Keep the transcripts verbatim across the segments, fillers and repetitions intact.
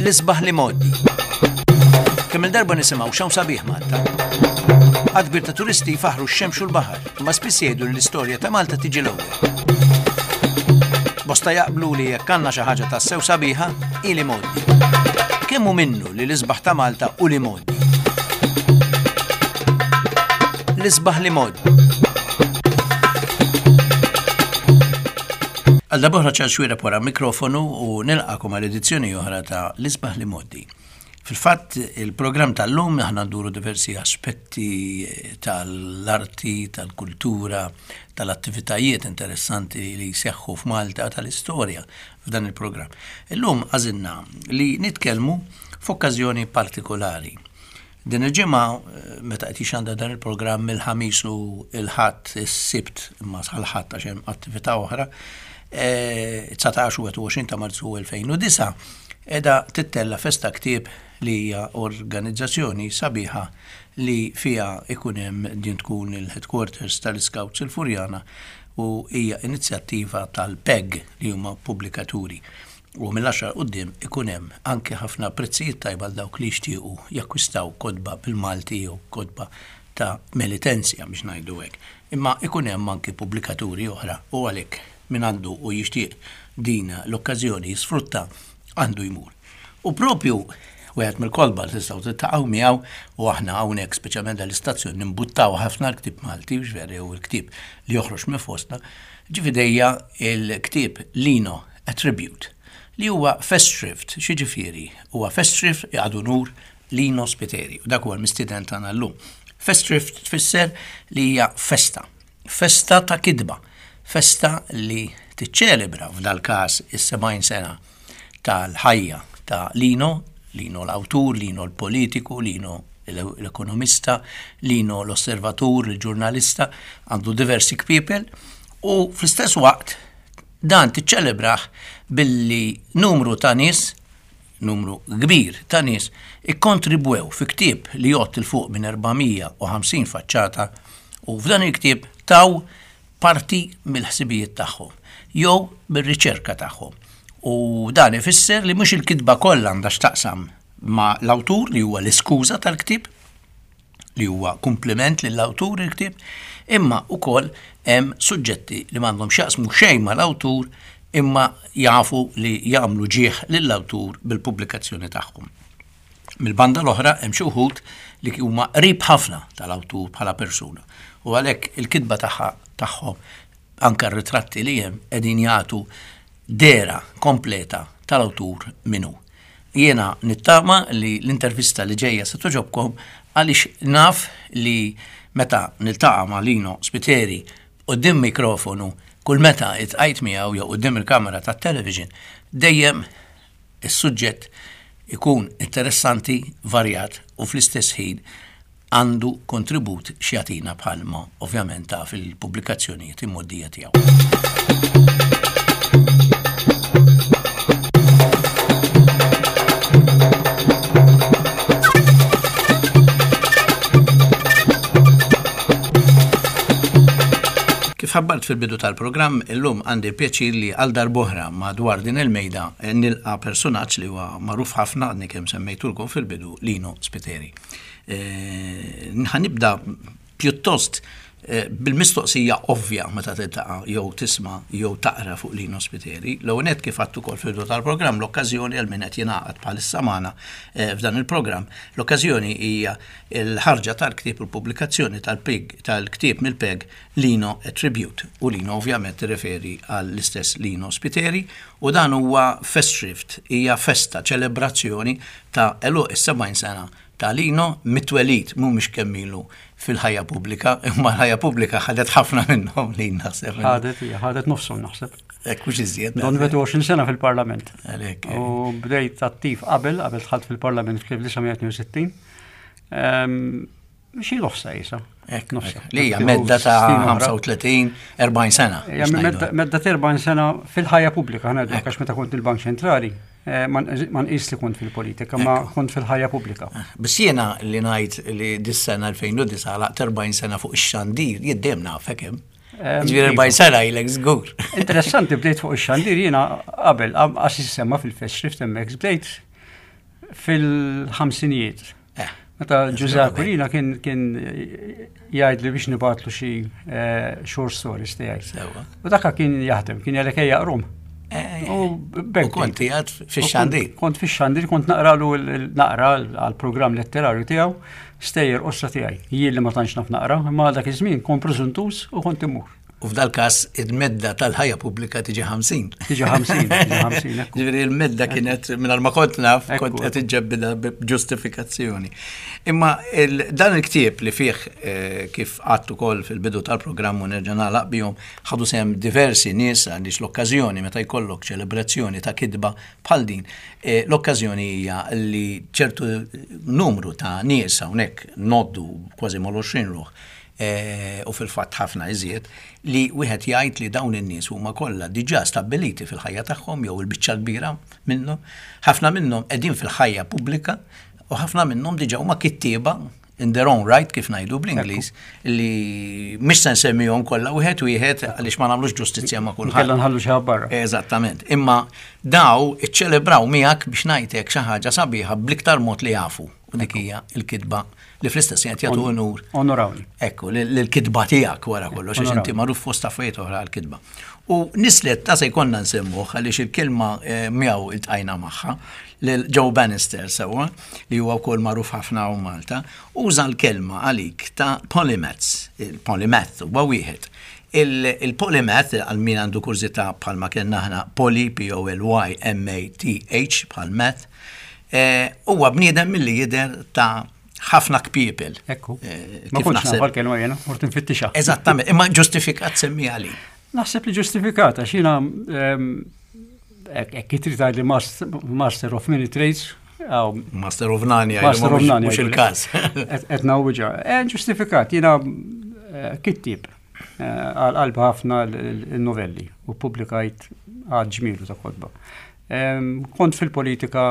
L-isbaħ l-imgħoddi. Kemm il-darba nisimgħu x'hawn sabiħ Malta. Għadd kbir ta' turisti jfaħħru x-xemx u l-baħar, imma spiss jgħidu li l-istorja ta' Malta tiġi l-ewwel. Bosta jaqblu li jekk għandna xi ħaġa tassew sabiħa, hi l-imgħoddi. Kemm hu minnu li l-isbaħ ta' Malta hu l-imgħoddi? L-isbaħ l-imgħoddi. Għal darb'oħra Charles Xuereb wara mikrofonu u nilqakom għal edizzjoni oħra ta' L-Isbaħ L-Imgħoddi. Fil-fatt, il-programm tal-lum aħna nduru diversi aspetti tal-arti, tal-kultura, tal-attivitajiet interessanti li jseħħu f'Malta, tal-istorja f'dan il-programm. Illum għażilna li nitkellmu f'okkażjoni partikolari. Din il-ġimgħa meta qed jixandar dan il-programm mill-Ħamis u l-Ħadd, is-Sibt imma sal-Ħadd għax hemm attività oħra, dsatax u wieħed u għoxrin ta' Marzu elfejn u disgħa, qiegħda tittella' Festa Ktieb li hija organizzazzjoni sabiħa li fiha ikun hemm din tkun il-headquarters tal-Scouts il-Furjana u hija inizjattiva tal-P E G li huma pubblikaturi. U mill-għaxra 'l quddiem ikun hemm anke ħafna prezzijiet tajba għal dawk li jixtiequ jakkwistaw kotba bil-Malti jew kotba ta' Melitensja biex ngħidu hekk. Imma ikun hemm anke pubblikaturi oħra u għalhekk min għandu u jixtieq din l-okkażjoni jisfrutta għandu jmur. U propju wieħed mill-kotba li tistgħu tiltaqgħu miegħu u aħna hawnhekk speċjalment dal-istazzjon nimbuttaw ħafna l-ktieb Malti, biex veru jew il-ktieb li joħroġ minn fostna, ġifieri il-ktieb Lino A Tribute li huwa Festschrift, xi ġifieri? Huwa Festschrift għadu nur Lino Spiteri, u dak huwa l-mistieden tagħna llum. Festschrift tfisser li hija festa, festa ta' kidba, festa li tiċċelebra f'dal każ is-sebgħin sena tal-ħajja ta' Lino, Lino l-awtur, Lino l-politiku, Lino l-ekonomista, Lino l-osservatur, il-ġurnalista, għandu diversi kpiepel u fl-istess waqt dan tiċċelebraħ billi numru ta' nies, numru kbir ta' nies, ikkontribwew fi ktieb li jgħodd il fuq minn erba' mija u ħamsin faċċata u f'dan il-ktieb taw parti mill-ħsibijiet tagħhom jew mir-riċerka tagħhom. U dan ifisser li mhux il-kitba kollha għandha x'taqsam ma' l-awtur li huwa l-iskuża tal-ktieb, li huwa kompliment lill-awtur il-ktieb, imma wkoll hemm suġġetti li m'għandhom x'jaqsmu xejn mal-awtur imma jafu li jagħmlu ġieħ lill-awtur bil-pubblikazzjoni tagħhom. Mill-banda l-oħra hemm xi wħud li huma qrib ħafna tal-awtur bħala persuna u għalhekk il-kitba tagħha tagħhom anke r-ritratti li hemm qegħdin jagħtu dera kompleta tal-awtur minnu. Jiena nittama li l-intervista li ġejja se toġobkom għaliex naf li meta niltaqa' ma' Lino Spiteri quddiem mikrofonu kull meta itqajt miegħu jew quddiem il-kamera tat-television dejjem is-suġġett ikun interessanti, varjat u fl-istess ħin għandu kontribut x'jagħtina bħalma ovvjament ta' fil-pubblikazzjonijiet immoddija tiegħu. Kif ħabbart fil-bidu tal-programm, illum għandi l-pjaċir li għal darb'oħra madwar din il-mejda nilqa' personaġġ li huwa magħruf ħafna għadni kemm semmejtulkom fil-bidu, Lino Spiteri. Eh, nibda pjuttost, eh, bil-mistoqsija ovvja meta tiltaqa' jew tisma' jew taqra fuq Lino Spiteri. L-ewwel nett kif għadtu wkoll fil-bidu tal-programm, l-okkażjoni għal min qed jingħaqad bħalissa magħna, eh, f'dan il-programm, l-okkażjoni hija l-ħarġa tal-ktieb u l-pubblikazzjoni tal-P E G, tal-ktieb mill-P E G Lino A Tribute. U Lino ovvjament tirreferi għall-istess Lino Spiteri u dan huwa Festschrift, hija festa, ċelebrazzjoni ta' għeluq is-sebgħin sena ta' Lino mitwelid, mhumiex kemm ilu fil-ħajja pubblika, imma l-ħajja pubblika ħadet ħafna minnhom li naħseb. Ħadet, hija, ħadet nofshom naħseb. Hekk mhux iżjed, Don naħseb. wieħed u għoxrin sena fil-Parlament. Għalhekk, U bdejt attiv qabel, qabel dħalt fil-Parlament fl-elf disa' mija tnejn u sittin. Ehm, xi nofsa isa. Hekk, Nofsa. hekk. Li hija medda ta' Snin oħra. ħamsa u tletin, erbgħin sena, Hija biex ngħidu. medda, medda ta' erbgħin sena fil-ħajja pubblika, ħa ngħidu, Hekk. għax meta kont il-Bank Ċentrali, eh, ma nqis-, ma nqis li kont fil-politika, ma Ekku. kont fil-ħajja pubblika. Biss jiena li ngħid li dis-sena elfejn u disgħa laqt erbgħin sena fuq ix-xandir, jiddem nafek hemm. Ehm, Ġifieri iva. erbgħin sena ilek żgur. Interessanti, bdejt fuq ix-xandir jiena qabel, għax jissemma fil-Festschrift hemmhekk, bdejt Fil-ħamsinijiet. Eh. Meta Ġużè Aquilina kien kien jgħid li biex nibgħatlu xi eh, short stories tiegħi. Sewwa. U dakka kien jaħdem, kien jgħalek ejja aqrahom. Eh, U U bekk kont qiegħed fix-xandir. Kont fix-xandir, kont naqralu l- naqra għal-programm letterarju tiegħu stejjer qosra tiegħi. Jien li ma tantx naf naqra, imma dak iż-żmien kont preżuntus u kont immur. U f'dal każ il-medda tal-ħajja pubblika tiġi ħamsin. Tiġi ħamsin, tiġi ħamsin, ekku. Ġifieri il-medda kienet mingħajr ma kont naf, Ekku. kont qed iġġebbida b'ġustifikazzjoni. Imma il- dan il-ktieb li fih eh, kif għadtu ukoll fil-bidu tal-programm u nerġa' nagħlaq bihom ħadu sehem diversi nies għaliex l-okkażjoni meta jkollok ċelebrazzjoni ta' kitba bħal din, eh, l-okkażjoni hija li ċertu numru ta' nies hawnhekk ngħoddu kważi mal-għoxrin ruħ eh, u fil-fatt ħafna iżjed li wieħed jgħid li dawn in-nies huma kollha diġà stabbiliti fil-ħajja tagħhom jew il-biċċa kbira minnhom, ħafna minnhom qegħdin fil-ħajja pubblika u ħafna minnhom diġà huma kittieba in their own right kif ngħidu bl-Ingliż li mhix se nsemmihom kollha wieħed wieħed għaliex ma nagħmlux ġustizzja ma' kulħadd. Kellna nħallu xi barra. Eżattament. Imma daw iċċelebraw miegħek biex ngħidlek xi ħaġa sabiħa bl-iktar mod li jafu. U dik hija l-kitba li fl-istess qed jagħtu unur. Onorawni. Ekku, l-kitba tiegħek wara kollox, għax Onorawni. inti magħruf fost affarijiet oħra għall-kitba. U nislet ta' se jkollna nsemmuh għaliex il-kelma eh, miegħu iltqajna magħha lil Joe Bannister sewwa li huwa wkoll magħruf ħafna hawn Malta, uża l-kelma għalik ta' polymaths, il-polymath huwa wieħed. Il-polymath għal min għandu kurżità bħalma kellna aħna poly, P O L Y M A T H bħal math, eh, huwa bniedem milli jidher ta' ħafna kpiepel. Ekku. Eh, Ma kif kontx naħseb- naf l-kelma jiena, mort nfittixha. Eżattament, imma ġustifikat semmi għali. Naħseb li ġustifikata, xina hekk trid tgħidli master of many trades, aw Master of none, jgħidu, Master ma of mhux- none. mhux jgħidu. il-każ. Qed ngħawwiġha. Eh, Ġustifikat, jiena eh, kittib eh, għal qalbi ħafna l-novelli u publikajt għadd ġmielu ta' kotba. Em, Kont fil-politika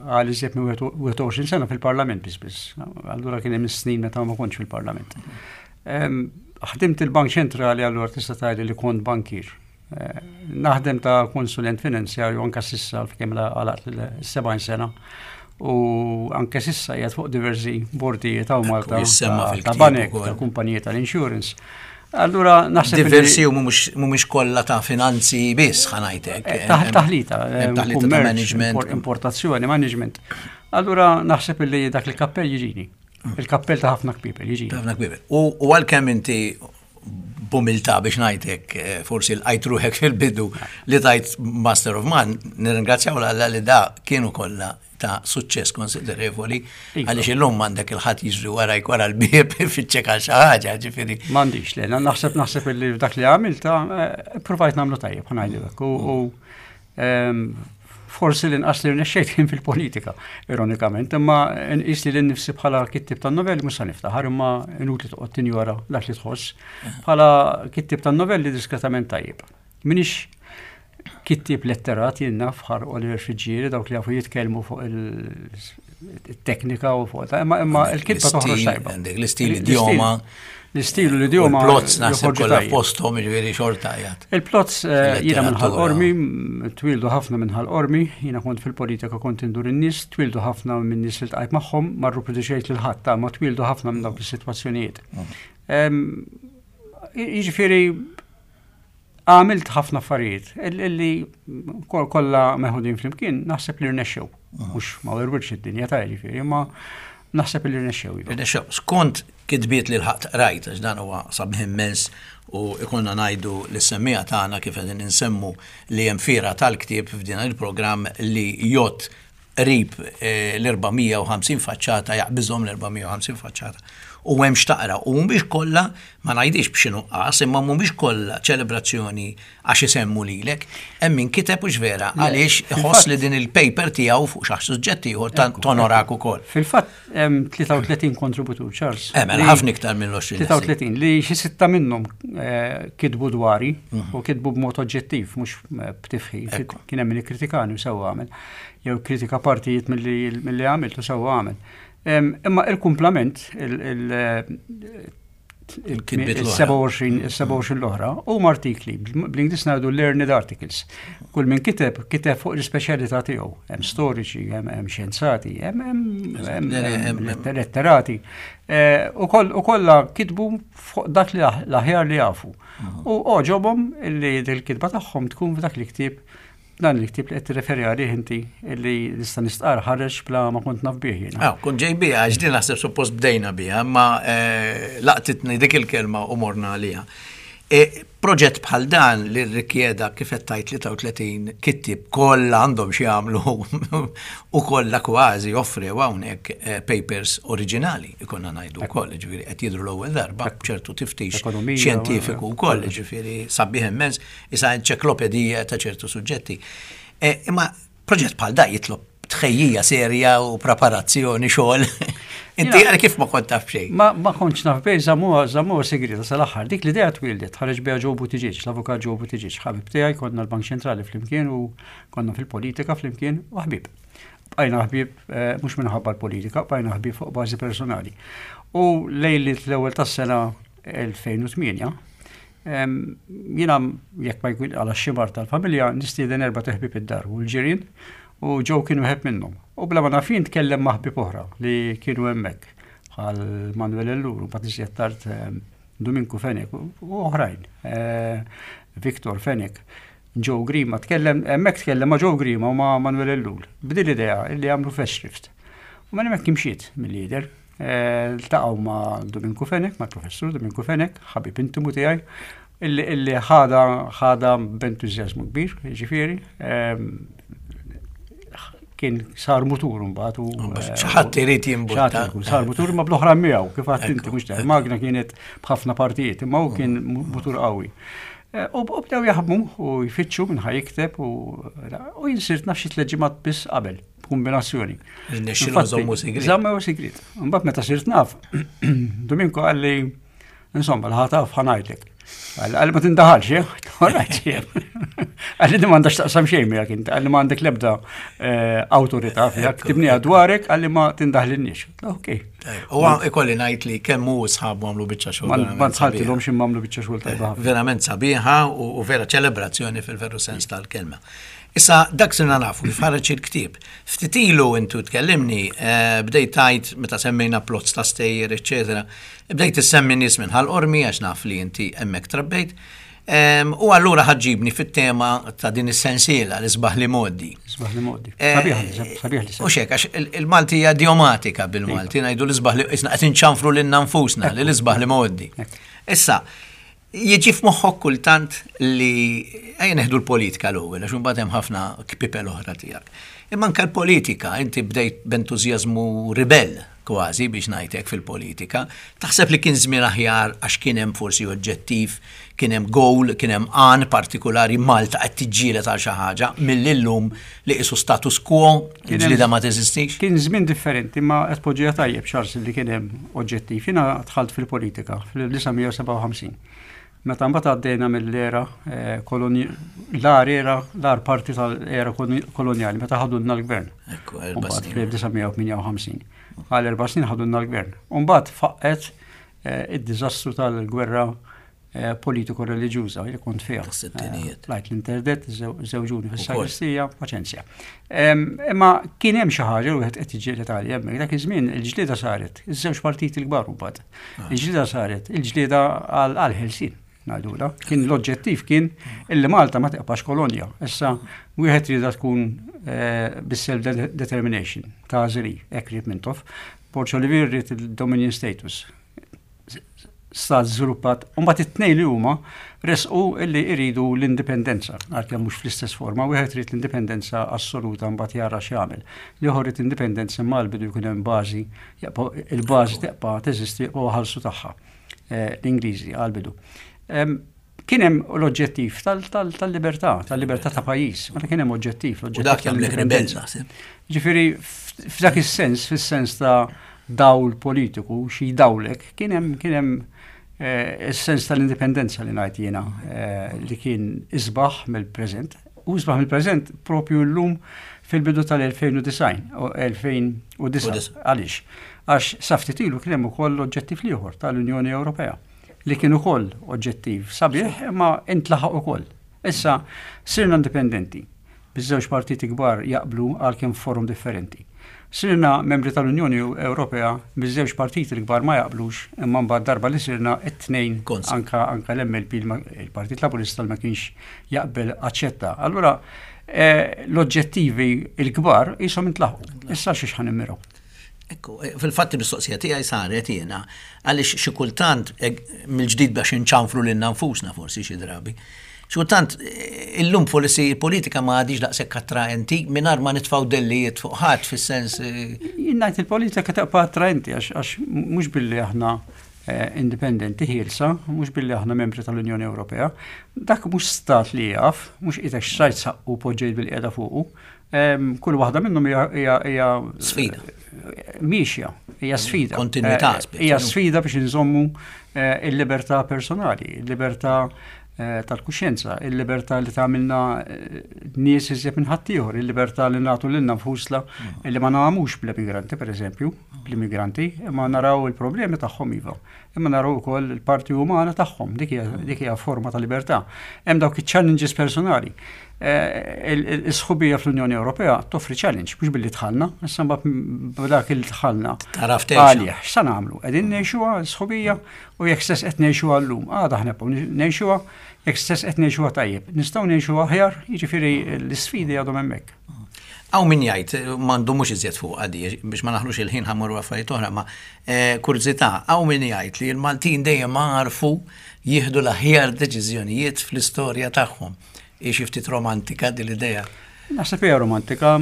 għal iżjed minn wieħed u għoxrin sena fil-parlament biss biss. Allura kien hemm snin meta ma kontx fil-parlament. Em, Ħdimt il-Bank Ċentrali, allura tista' tgħid li kont bankir. Eh, Naħdem ta' konsulent finanzjarju anka s'issa kemm għalaqt l-sebgħin sena u anke s'issa qiegħed fuq diversi bordijiet ta' Malta jissemma ta' fil-ktieb ta' banek, ukoll. ta' kumpaniji tal-insurance. Allura naħseb li- Diversi u mhumiex mhumiex kollha ta' finanzi biss ħa ngħidlek. Eh, taħ- Taħlita, eh, Hemm taħlita ta' kummerċ, management. impor- importazzjoni, management. Allura naħseb li dak il-kappell jiġini. Il-kappell ta' ħafna kpiepel jiġini. Ħafna kpiepel. U u għalkemm inti b'umiltà biex ngħidlek eh, forsi l-għajt ruħek fil-bidu li tajt Master of None, nirringrazzjaw l li da kienu kollha ta' suċċess konsiderevoli Iva. għaliex illum m'għandek il-ħadd jiġri warajk wara l-bieb fiċċek għal xi ħaġa, ġifieri. M'għandix, le, naħseb naħseb li dak li għamilt, eh, provajt nagħmlu tajjeb, ħa ngħidlek. U u, ehm, forsi l-inqas li rnexxejt kien fil-politika, ironikament, imma nqis li l-nifsi bħala kittib tan-novelli mhux se niftaħar, imma inutli toqgħod tinjora dak li tħoss. Bħala kittib tan-novelli diskretament tajjeb. Minix kittib letterat jien naf bħal Oliver Friggieri, dawk li jafu jitkellmu fuq il-teknika u fuq ta' imma imma il-kitba toħroġ L-istil, tajba. għandek l-istil, idioma. L-istil u l-idioma. Plots naħseb joħorġu kollha tajjeb. posthom, ġifieri xorta jgħat. Il-plots eh, jiena minn Fil-letteratura. Ħal Qormi, twildu ħafna minn Ħal Qormi, jiena kont fil-politika kont indur in-nies, twildu ħafna minn nies li ltqajt magħhom, ma rriproduċejt lil ħadd, ta' ma twildu ħafna minn dawk is-sitwazzjonijiet. Em, Jiġifieri għamilt ħafna affarijiet illi kol- kollha meħudin flimkien naħseb li rnexxew. Mhux ma werwirx id-dinja ta' jiġifieri, imma naħseb li rnexxew. Iva. Rnexxew. Skont kitbiet li l-ħadd rajt, għax dan huwa sabiħ immens u ikonna ngħidu lis-semmiegħa tagħna kif qegħdin insemmu li hemm fiera tal-ktieb f'din il-programm li jgħodd qrib eh, l-erba' mija u ħamsin faċċata, jaqbiżhom l-erba' mija u ħamsin faċċata. U hemm x'taqra u mhumiex kollha, ma ngħidix b'xi nuqqas, imma mhumiex kollha ċelebrazzjoni għax isemmu lilek, hemm min kiteb u vera għaliex iħoss li din il-paper tiegħu fuq xi suġġett ieħor ta' tonorak ukoll. Fil-fatt hemm tlieta u tletin kontributur, Charles. Eh, mela li- ħafna iktar mill-għoxrin. tlieta u tletin li xi sitta minnhom eh, kitbu dwari u kitbu b'mod oġġettiv mhux eh, b'tifħir. Ekku. Kien hemm min ikkritikani u sewwa għamel. Jew kritika partijiet milli milli għamilt u sewwa għamel. Em, Imma il-kumplament, il- il- eh, il-sebgħa u għoxrin l-oħra huma artikli, bl-Ingliż ngħidu learned articles. Kull min kiteb, kiteb fuq l-ispeċjalità tiegħu. Hemm storiċi, hemm xjenzati, hemm letterati. Eh, u kollha kitbu fuq dak li l-aħjar li jafu. U għoġobhom illi dil-kitba tagħhom tkun f'dak li ktieb, dan il-ktieb li qed tirreferi għalih inti, illi nista' nistqar ħareġ bla ma kont naf bih jiena. Ah, kont ġej biha, għax din naħseb suppost bdejna biha, ma eh, laqtitni dik il-kelma u morna għaliha. E, proġett bħal dan li rrikjeda, kif qed tgħid, tlieta u tletin kittib kollha għandhom xi jagħmlu u kollha kważi offrew hawnhekk eh, papers oriġinali, ikonna ngħidu wkoll, ġifieri qed jidhru l-ewwel darba b'ċertu tiftix xjentifiku wkoll, ġifieri sabiħ immens, isa enċiklopedija ta' ċertu suġġetti. E, imma proġett bħal da jitlob tħejjija serja u preparazzjoni, xogħol. Inti għal kif ma kont taf xejn? Ma, ma kontx naf bej, żammuha żammuha segreta sal-aħħar. Dik l-idea twildet, ħareġ biha Joe Buttigieg, l-avukat Joe Buttigieg, ħabib tiegħi, konna l-Bank Ċentrali flimkien u konna fil-politika flimkien u ħbib. Bqajna ħbib eh, mhux minħabba l-politika, bqajna ħbib fuq bażi personali. U lejlit l-ewwel tas-sena elfejn u tmienja, jiena, jekk ma jkun għal xi mard tal-familja, nistieden erba' ħbieb id-dar u l-ġirien, u Joe kienu wieħed minnhom. U bla ma naf jien tkellem ma' ħbieb oħra li kienu hemmhekk, bħal Manuel Ellul, u mbagħad tard Dominku Fenech u oħrajn, eh, Victor Fenech, Joe Grima, tkellem, hemmhekk tkellem ma' Joe Grima u ma' Manuel Ellul. B'din l-idea illi għamlu Festschrift. U minn hemmhekk imxiet mill-lider. Eh, ltaqgħu ma' Dominku Fenech, ma' professur Dominku Fenech, ħabib intimu tiegħi, illi ħada ħada b'entużjażmu kbir, ġifieri, kien sar mutur mbagħad u xi ħadd irid jimbutta. Sar mutur ma bl-oħra miegħu, kif għedt inti, mhux magna kienet b'ħafna partijiet, imma hu kien mutur qawwi. Eh, u bdew jaħdmu u jfittxu minn ħa jikteb u jien sirt naf xi tliet ġimgħat biss qabel, kombinazzjoni. Żammu sigriet. Żammu sigriet. Mbagħad meta sirt naf, Dominko qalli, "Insomma, ħa taf, ħa ngħidlek." Qalli, "Ma tindaħalx, eh?" Qalli, "Di m'għandax taqsam xejn miegħek inti," qalli, "ma għandek lebda eh, awtorità fiha, ktibniha dwarek," qalli, "ma tindaħlinniex." Ok. U ikolli ngħid li kemm hu sħabu għamlu biċċa xogħol. Ma dħaltilhom xi għamlu biċċa xogħol tajba. Verament sabiħa u vera ċelebrazzjoni fil-veru sens tal-kelma. Issa, dak sirna nafu kif ħareġ il-ktieb. Ftit ilu intu tkellimni, eh, bdejt tgħid meta semmejna plots ta' stejjer, eċetera. Bdejt issemmi nies minn Ħal Qormi għax naf li inti hemmhekk trabbejt. U allura ħa ġġibni fit-tema ta' din is-sensiela, l-isbaħ l-imgħoddi. Isbaħ l-imgħoddi. Eh, sabiħ li. U xek, għax il-Malti hija idiomatika bil-Malti, iva. Ngħidu l-isbaħ li isna qed inċanfru lilna nfusna li l-isbaħ l-imgħoddi. Issa, jiġi f'moħħok kultant li ejja neħdu l-politika l-ewwel, għax imbagħad hemm ħafna kpipel oħra tiegħek. Imma anke l-politika, inti bdejt b'entużjażmu ribell kważi biex ngħidlek fil-politika. Taħseb li kien żmien aħjar għax kien hemm forsi oġġettiv, kien hemm goal, kien hemm għan partikolari, Malta qed tiġġieled għal xi ħaġa, mill-illum li qisu status quo, ġlida ma teżistix? Kien żmien differenti, ma qed poġġija tajjeb, Charles, li kien hemm oġġettiv. Jiena dħalt fil-politika fl-elf disa' mija u sebgħa u ħamsin. Meta mbagħad għaddejna mill-era eh, l-agħar era, l-agħar parti tal-era koloniali, meta ħadulna l-gvern. Fl-elf disa' mija u tmienja u ħamsin. Għal erba' snin ħadulna l-gvern. Mbagħad faqqet eh, id-diżastru tal-gwerra eh, politiko-reliġjuża li kont fiha. Lajt l-interdet, żewġuni fis-sagristija, paċenzja. Imma kien hemm xi ħaġa wieħed qed jiġġieled għalih hemmhekk. Dak iż-żmien il-ġlieda saret, iż-żewġ partiti l-kbar mbagħad. Ah. Il-ġlieda saret, il-ġlieda għal-ħelsien ngħidula. Kien l-oġġettiv kien illi Malta ma tibqax kolonja. Issa wieħed rieda tkun eh, bis-self determination ta' Zeri, hekk ried Mintoff. Borg Olivier ried il-dominion status. Stat żviluppat. U mbagħad it-tnejn li huma resqu illi iridu l-indipendenza, għalkemm mhux fl-istess forma, wieħed irid l-indipendenza assoluta, mbagħad jara x'jagħmel. L-ieħor irid indipendenza imma l-bidu jkun hemm bażi, il-bażi tibqa' teżisti u ħalsu tagħha eh, l-Ingliżi għal-bidu. Kien hemm l-oġġettiv tal-libertà, tal-libertà ta' pajjiż. Meta kien hemm oġġettiv, l-oġġettiv. Dak jagħmlek ribell. Ġifieri f'dak is-sens, fis-sens ta' dawl politiku, xi dawlek, kien hemm kien hemm eh, is-sens tal-indipendenza li ngħid jiena eh, li kien isbaħ mill-preżent. U isbaħ mill-preżent propju llum fil-bidu tal-elfejn u disgħin u elfejn u disgħa. Għaliex? Għax sa ftit ilu kien hemm ukoll l-oġġettiv ieħor tal-Unjoni Ewropea. Li kien ukoll oġġettiv sabiħ, imma intlaħaq ukoll. Issa sirna indipendenti. Biż-żewġ partiti kbar jaqblu għal kien forum differenti. Sirna membri tal-Unjoni Ewropea, biż-żewġ partiti l-kbar ma jaqblux, imma mbagħad darba li sirna it-tnejn anka anka l-M L P, il-Partit Laburista ma kienx jaqbel, aċċetta. Allura eh, l-oġġettivi il-kbar jisom intlaħqu. Issa xiex ħa nimmiraw? Ekku, eh, fil-fatt il-mistoqsija tiegħi saret jiena għaliex xi kultant eh, mill-ġdid biex inċanfru lilna nfusna forsi xi drabi. Xi kultant eh, illum forsi il-politika ma għadix daqshekk attraenti mingħajr ma nitfgħu dellijiet fuq ħadd fis-sens. Jien ngħid il-politika tibqa' attraenti għax mhux billi aħna indipendenti ħielsa, mhux billi aħna membri tal-Unjoni Ewropea, dak mhux stat li jaf, mhux qisek xtrajt saqqu poġġejt bil-qiegħda fuqu. Kull waħda minnhom hija sfida. Miexja, hija sfida. Kontinuità. Eh, hija sfida biex inżommu eh, il-libertà personali, il-libertà eh, tal-kuxjenza, il-libertà li tagħmilna nies iżjed minn ħaddieħor, il-libertà li nagħtu lilna nfusna mm. li ma nagħmux bl-immigranti, pereżempju, bl-immigranti, imma naraw il-problemi tagħhom iva. Imma naraw ukoll il-parti umana tagħhom, dik hija forma ta' libertà. Hemm dawk iċ-challenges personali. Eh, is-sħubija fl-Unjoni Ewropea toffri challenge, mhux billi dħalna, issa mbagħad b'dak il dħalna. Taraf. Għalih, x'sa nagħmlu? Qegħdin ngħixuha l-sħubija u jekk stess qed ngħixuha llum, għada aħna ngħixuha, jekk stess qed ngħixuha tajjeb. Nistgħu ngħixuha aħjar, jiġifieri l-isfidi għadhom hemmhekk. Hawn min jgħid, m'għandu mhux iżjed fuq għadi, biex ma naħlux il-ħin ħa mmorru affarijiet oħra, ma eh, kurżità, hawn min jgħid li l-Maltin dejjem għarfu jieħdu l-aħjar deċiżjonijiet fl-istorja tagħhom. Xi ftit romantika din l-idea? Naħseb hija romantika,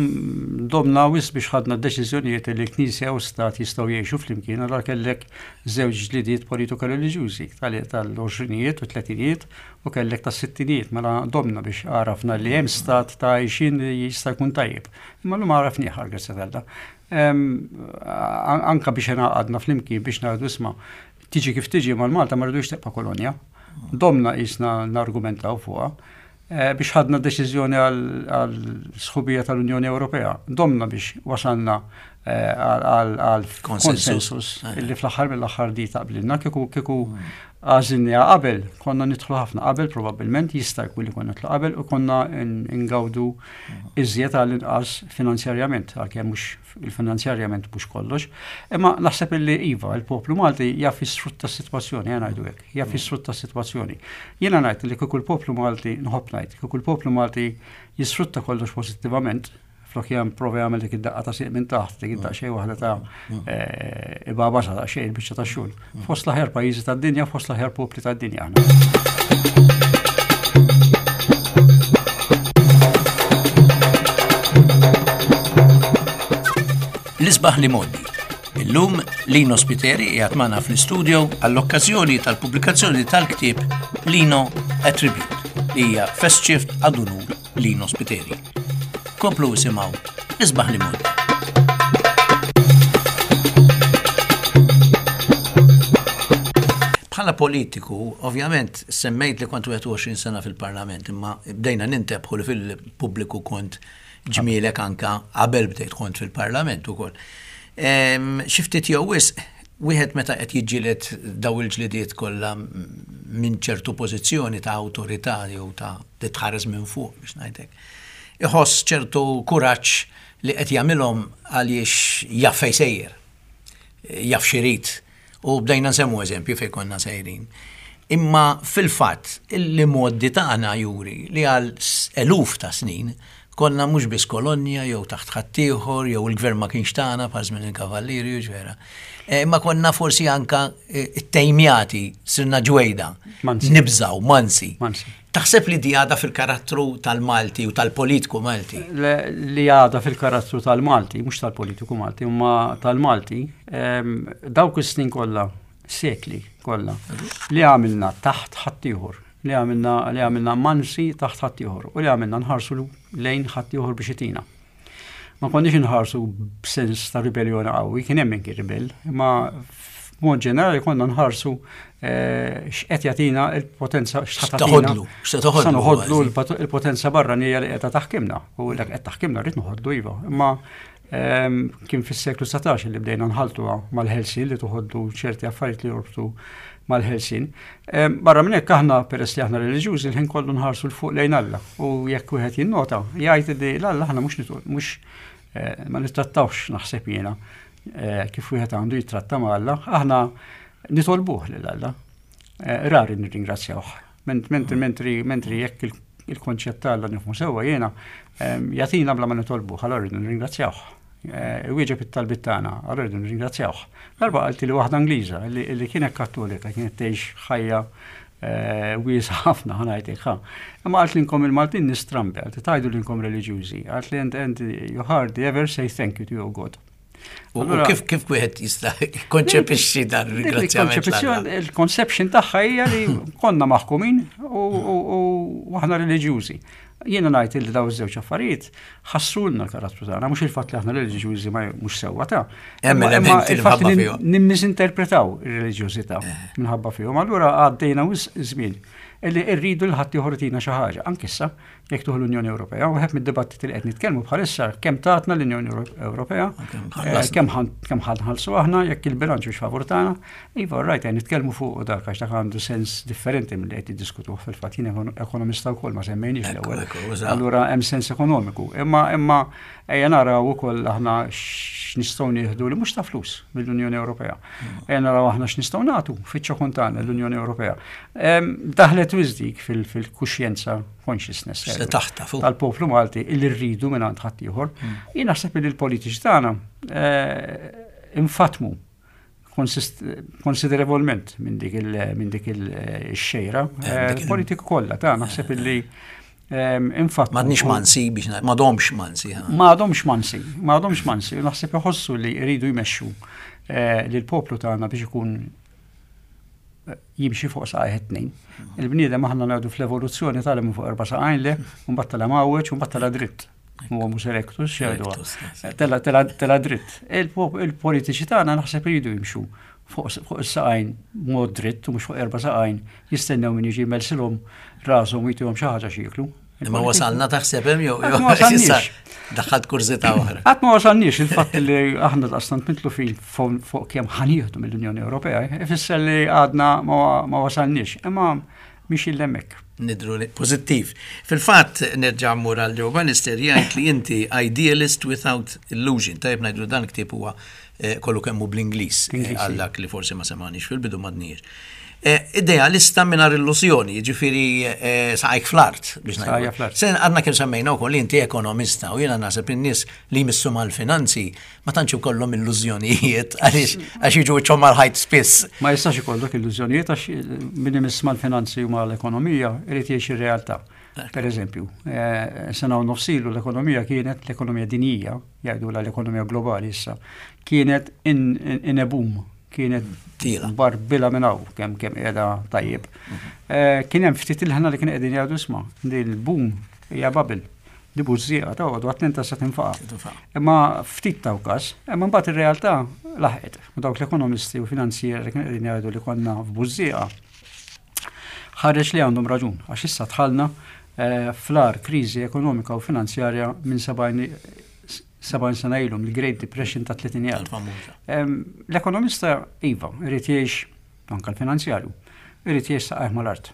domna wisq biex ħadna deċiżjonijiet li l-Knisja u Stat jistgħu jgħixu flimkien, allura kellek żewġ ġlidiet politiko reliġjużi tal-għoxrinijiet u tletinijiet u kellek tas-sittinijiet, mela domna biex għarafna li hemm stat ta' għajxin li jista' jkun tajjeb. Imma llum għarafnieh, grazzi t'Alla. Anka biex għadna flimkien biex ngħidu, isma', tiġi kif tiġi mal-Malta ma rridux tibqa' kolonja. Domna qisna nargumentaw fuqha. Eh, biex ħadna deċiżjoni għal sħubija tal-Unjoni Ewropea. Domna biex wasalna eh, għal konsensus eh. illi fl-aħħar mill-aħħar di taqblilna. Kieku kieku mm. għażilniha qabel, konna nidħlu ħafna qabel, probabbilment jista' jkun li konna nidħlu qabel u konna ngawdu mm. iżjed għall-inqas finanzjarjament, għalkemm mhux il-finanzjarjament mhux kollox. Imma naħseb illi iva, il-poplu Malti jaf jisfrutta s-sitwazzjoni, jena ngħidu hekk, jaf jisfrutta s-sitwazzjoni. Jiena ngħid li kieku l-poplu Malti, nħobb ngħid, kieku l-poplu Malti jisfrutta kollox pożittivament, flok jam prova jagħmel dik id-daqqa ta' sieq minn taħt, dik id xejn waħda ta' eh, ibaba sa xejn il-biċċa ta' xogħol. Fost l-aħjar pajjiżi tad-dinja, fost l-aħjar popli tad-dinja aħna. L-isbaħ l-imgħoddi. Illum Lino Spiteri qiegħed magħna fl-istudio għall-okkażjoni tal-pubblikazzjoni tal-ktieb Lino A Tribute li hija Festschrift ad unur Lino Spiteri. Komplu isimgħu l-isbaħ l-imgħoddi. Bħala politiku, ovvjament, semmejt li kont wieħed u għoxrin sena fil-parlament, imma bdejna nintebħu li fil-pubbliku kont ġmielek anka qabel bdejt kont fil-parlament ukoll. Xi ftit jew wisq, wieħed meta qed jiġġieled daw il-ġlidiet kollha minn ċertu pożizzjoni ta' awtorità jew ta' li tħares minn fuq biex ngħidlek. Iħoss ċertu kuraġġ li qed jagħmilhom għaliex jaf fejn sejjer, jaf x'irid. U bdejna nsemmu eżempju fejn konna sejrin. Imma fil-fatt il-modi tagħna juri li għal eluf ta' snin konna mhux biss kolonja jew taħt ħaddieħor jew il-gvern ma kienx tagħna bħal żmien il-kavallieri u ġvera. Eh, imma konna forsi anka eh, ttejmjati, sirna ġwejda, nibżaw, mansi. Taħseb li di għada fil-karattru tal-Malti u tal-politiku Malti? Li għada fil-karattru tal-Malti, mhux tal-politiku Malti, imma tal-Malti, dawk is-snin kollha, sekli kollha, li għamilna taħt ħaddieħor, li għamilna li għamilna mansi taħt ħaddieħor u li għamilna nħarsu lejn ħaddieħor biex itina. Ma konniex nħarsu b'sens ta' ribellioni qawwi, kien hemm kien ribell, imma f'mod ġenerali konna nħarsu eh, x'qed jagħtina il-potenza. X'taħodlu, x'taħodlu noħodlu il-potenza barranija li qiegħda taħkimna u l qed taħkimna rrid noħodlu iva. Imma ehm, kien fis-seklu dsatax li bdejna nħaltuha mal-ħelsin li toħodlu ċerti affarijiet li jorbtu mal-ħelsien. Barra minn hekk aħna, peress li aħna reliġjużi, l-ħin kollu nħarsu 'l fuq lejn Alla. U jekk wieħed jinnota, jgħid li l-Alla aħna mhux mhux eh, ma nittrattawx, naħseb jiena, eh, kif wieħed għandu jittratta ma' Alla, aħna nitolbuh lil Alla. Eh, rari nirringrazzjawh. Mentri mentri mentri jekk il-konċett ta' Alla nifhmu sewwa jiena, jagħtina bla ma nitolbuh, allora rridu nirringrazzjawh. Wieġeb it-talbit tagħna, allora rridu nirringrazzjawh. Darba qaltli waħda Ingliża li kienet Kattolika, kienet tgħix ħajja wiesgħa ħafna, ħa ngħidlek ħa. Imma qalt li inkom il-Maltin nistrambi, qalt tgħidu li inkom reliġjużi, qalt li and, and you hardly ever say thank you to your God. U kif kif wieħed jista' konċepixxi dan ir-ringrazzjament? Il-conception tagħha hija li konna maħkumin u aħna reliġjużi. Jiena ngħid li daw iż-żewġ affarijiet ħassrulna l-karattru tagħna, mhux il-fatt li aħna reliġjużi ma mhux sewwa ta' Hemm elementi il-fatt li nimmisinterpretaw ir-reliġjużità minħabba fihom. Allura għaddejna żmien illi rridu l ħadd ieħor xi ħaġa. Anke issa jekk tieħu l-Unjoni Ewropea, u wieħed mid-dibattiti li qed nitkellmu bħalissa kemm tatna l-Unjoni Ewropea, kemm kemm ħa nħallsu aħna, jekk il-bilanċ mhux favur tagħna, iva, rajt qed nitkellmu fuq dak għax dak għandu sens differenti milli qed jiddiskutuh. Fil-fatt jien ekonomista wkoll, ma semmejniex l-ewwel. Allura hemm sens ekonomiku. Imma imma ejja naraw ukoll aħna x'nistgħu nieħdu li mhux ta' flus mill-Unjoni Ewropea. Ejja naraw aħna x'nistgħu nagħtu fiċ-ċokon tagħna l-Unjoni Ewropea. Daħlet wisq dik fil-kuxjenza, consciousness tal-poplu Malti illi rridu minn għand ħaddieħor. Jien naħseb li l-politiċi tagħna infatmu konsiderevolment minn dik il-xejra. Politiku kollha ta' naħseb illi infatt. M'għadniex mansi biex m'għadhomx mansi. M'għadhomx mansi, m'għadhomx mansi, naħseb iħossu li jridu jmexxu lill-poplu tagħna biex ikun jimxi fuq saqajh tnejn. Il-bniedem, aħna ngħidu fl-evoluzzjoni, tala minn fuq erba' saqajn le, mbagħad tala mgħawweġ u mbagħad tala dritt. Huwa mhux erectus, xejdu. Tela tela tela dritt. Il-politiċi tagħna naħseb iridu jimxu fuq is-saqajn mod dritt u mhux fuq erba' saqajn jistennew min jiġi jmelsilhom rashom u jtihom xi ħaġa x'jieklu. Imma wasalna taħseb hemm jew daħħalt kurżità oħra? Qatt ma wasalniex. Il-fatt li aħna daqstant mitlufin fuq kemm ħa nieħdu mill-Unjoni Ewropea, ifisser li għadna ma wasalniex. Imma mhix il-lemmek. Nidru li pożittiv. Fil-fatt nerġa' mmur għal Joe Bannister, jgħid li inti idealist without illusion. Tajjeb ngħidu dan ktieb huwa kollu kemmu bl-Ingliż, għal dak li forsi ma semgħanix fil-bidu madnir. Idealista mingħajr illużjoni, ġifieri saqajk fl-art biex ngħidu. Sen għadna kemm semmejna wkoll li inti ekonomista u jiena naħseb in-nies li jmissu mal-finanzi ma tantx ikollhom illużjonijiet għaliex għax jiġu wiċċhom mal-ħajt spiss. Ma jistax ikollok illużjonijiet għax min imiss mal-finanzi u mal-ekonomija irid jgħix ir-realtà. Per eżempju, sena u nofs ilu l-ekonomija kienet, l-ekonomija dinjija, jgħidu l-ekonomija globali issa, kienet in, in, in a boom, kienet barbila minn hawn kemm kemm qiegħda tajjeb. Kien hemm ftit il-ħna li kien qegħdin jgħidu, "Isma', din il-boom hija bubble. Di bużżieqa ta' għodu attenta se tinfaqa'." Imma ftit taw każ, imma mbagħad ir-realtà laħqet. U dawk l-ekonomisti u finanzieri li kienu qegħdin jgħidu li konna f'bużżieqa ħareġ li għandhom raġun, għax issa dħalna fl-agħar kriżi ekonomika u finanzjarja minn sebgħin sena ilu, mill-Great Depression ta' tletinijiet. L-ekonomista iva, irid jgħix, anka l-finanzjarju, irid jgħix saqajh mal-art.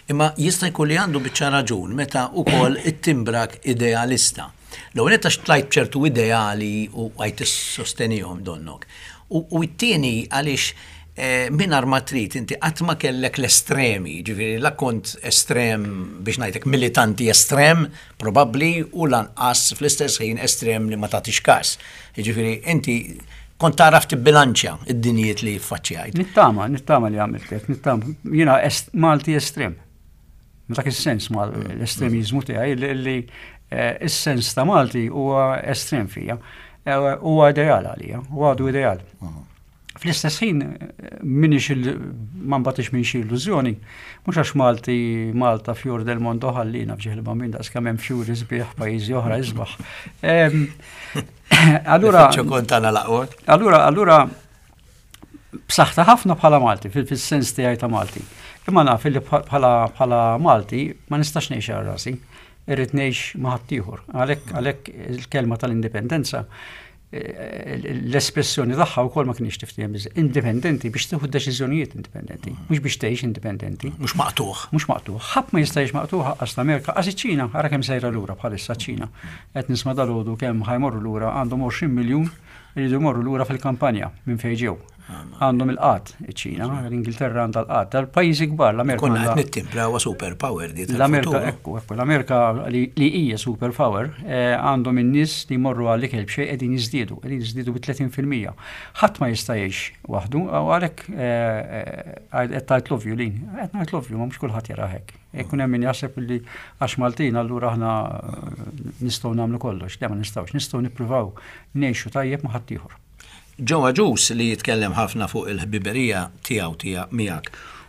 Imma jista' jkun li għandu biċċa raġun meta ukoll it-timbrak idealista. L-ewwel għax tlajt ċertu ideali u għajt tissostenihom donnok. U t-tieni għaliex mingħajr ma trid inti qatt ma kellek l-estremi, ġifieri la kont estrem biex ngħidlek militanti estrem, probabbli, u lanqas fl-istess ħin estrem li ma tagħtix każ. Ġifieri inti kont tagħraf tibbilanċja id-dinjiet li ffaċċjajt. Nittama, nittama li għamilt hekk, nittama. Jiena Malti estrem. Dak is-sens mal l-estremizmu tiegħi li is-sens ta' Malti huwa estrem fija. Huwa ideal għalija, huwa għadu ideal. Fl-istess ħin minix ma nbatix minn xi illużjoni, mhux għax Malti, Malta fior del mondo, ħallina f'ġieħ il-Bambin, daqs kemm hemm fjuri sbieħ pajjiżi oħra isbaħ. Allura Allura allura b'saħħta ħafna bħala Malti, fil-sens tiegħi ta' Malti. Imma naf li bħala Malti ma nistax ngħix għal rasi, irrid ngħix ma' ħaddieħor. Għalhekk għalhekk il-kelma tal-indipendenza eh, l-espressjoni tagħha wkoll ma kienx tiftiehem biżżejjed. Indipendenti biex tieħu deċiżjonijiet indipendenti, mhux biex tgħix indipendenti. Mhux maqtugħ. Mhux maqtugħ. Ħadd ma jista' jgħix maqtugħ, għax l-Amerika, għax iċ-Ċina, ara kemm sejra lura bħalissa ċ-Ċina. Qed nisma' dalgħodu kemm ħa jmorru lura, għandhom għoxrin miljun iridu jmorru lura fil-kampanja minn fejn ġew. Għandhom il-qgħad iċ-Ċina, l-Ingilterra għandha l-qgħad, dal-pajjiżi kbar, l-Amerika. Konna għandha- qed nittimpla huwa super power di L-Amerika, tal-futur. ekku, ekku, l-Amerika li li hija super power, eh, għandhom in-nies li jmorru għal ikel b'xejn qegħdin jiżdiedu, qegħdin jiżdiedu bi tletin fil-mija. Ħadd ma jista' jgħix waħdu, u għalhekk eh, eh, qed tgħid l-ovvju lin, qed ngħid l-ovvju, ma mhux kulħadd jara hekk. Ikun hemm min jaħseb li għax Maltin allura aħna eh, nistgħu nagħmlu kollox, le, ma nistgħux, nistgħu nippruvaw ngħixu tajjeb ma' ħaddieħor. Joe Agius, li jitkellem ħafna fuq il-ħbiberija tiegħu tiegħek miegħek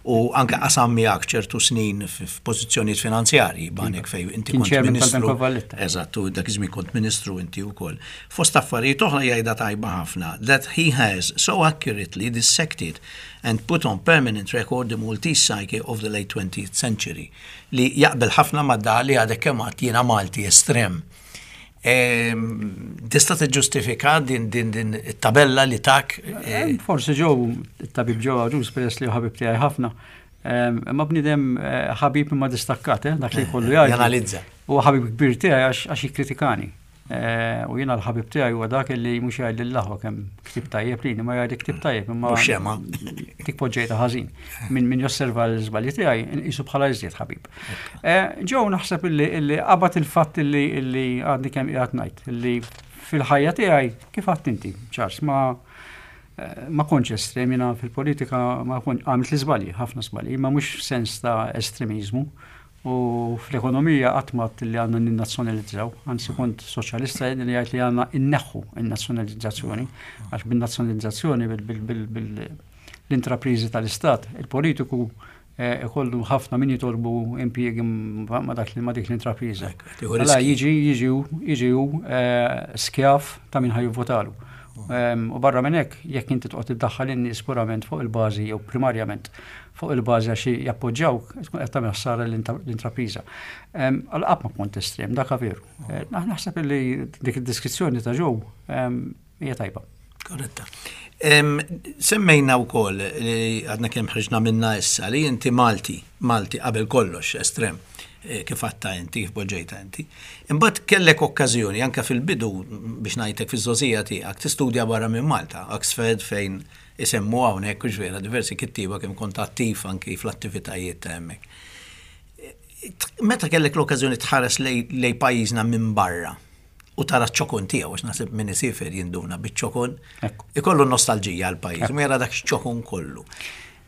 u anke qasam miegħek ċertu snin f'pożizzjonijiet finanzjarji, banek fejn inti Kien kont chairman ministru. tal-Bank of Valletta. Eżatt, u dak iż-żmien kont ministru inti wkoll. Fost affarijiet oħra jgħidha tajba ħafna that he has so accurately dissected and put on permanent record the Maltese psyche of the late twentieth century, li jaqbel ħafna ma' da li għadek kemm għedt, jiena Malti estrem. Ehm, Tista' tiġġustifika din din din it-tabella li tak? eh, Forsi Joe, it-tabib Joe Agius, peress li ħabib tiegħi ħafna. Em, Ma bniedem eh, ħabib imma distakkat, eh, dak li jkollu jgħid. Janalizza. U ħabib kbir tiegħi għax għax jikkritikani. Eh, U jiena l-ħabib tiegħi huwa dak li mhux jgħid lill-aħwa kemm ktib tajjeb lini, ma jgħid ktib tajjeb imma Mhux xema. dik poġġejta ħażin. Min min josserva l-żbalji tiegħi nqisu bħala iżjed ħabib. Eh, Joe naħseb illi illi qabad il-fatt illi illi għadni kemm qiegħed ngħid illi fil-ħajja tiegħi, kif għedt inti, Charles, ma eh, ma kontx estrem jiena fil-politika, ma kont għamilt li żbalji, ħafna żbalji, ma mhux sens ta' estremizmu. U fl-ekonomija qatt ma għedt li għandna ninnazzjonalizzaw, anzi kont soċjalista li jgħid li għandna inneħħu in-nazzjonalizzazzjoni, għax bin-nazzjonalizzazzjoni bil-intrapriżi tal-istat, il-politiku eh, ikollu ħafna min jitolbu impjiegi ma dak li ma dik l-intrapriża. Tieħu Allora riski. jiġi jiġi jiġi hu, eh, skjav ta' min ħa jivvotalu. Em, U barra minn hekk, jekk inti toqgħod iddaħħal in-nies purament fuq il-bażi jew primarjament fuq il-bażi għax jappoġġjawk, tkun qed tagħmel ħsara l-intrapriża. Em, Għal qatt ma kont estrem, dak veru. Eh, Naħseb li dik id-deskrizzjoni ta' Joe em, hija tajba. Korretta. Em, Semmejna wkoll li għadna kemm ħriġna minna issa li inti Malti, Malti qabel kollox estrem, eh, kif għedtha inti, kif poġġejta inti. Imbagħad kellek okkażjoni anke fil-bidu, biex ngħidlek, fiż-żgħożija tiegħek tistudja barra minn Malta, Oxford, fejn isemmu hawnhekk u vera diversi kittieba kemm kont attiv anki fl-attivitajiet ta' hemmhekk. Meta kellek l-okkażjoni tħares lej, lej pajjiżna minn barra u tara ċ-ċokon tiegħu, għax naħseb min isiefer jinduna biċ-ċokon, Ekku. ikollu nostalġija għal pajjiż, ma jara dak ċokon kollu.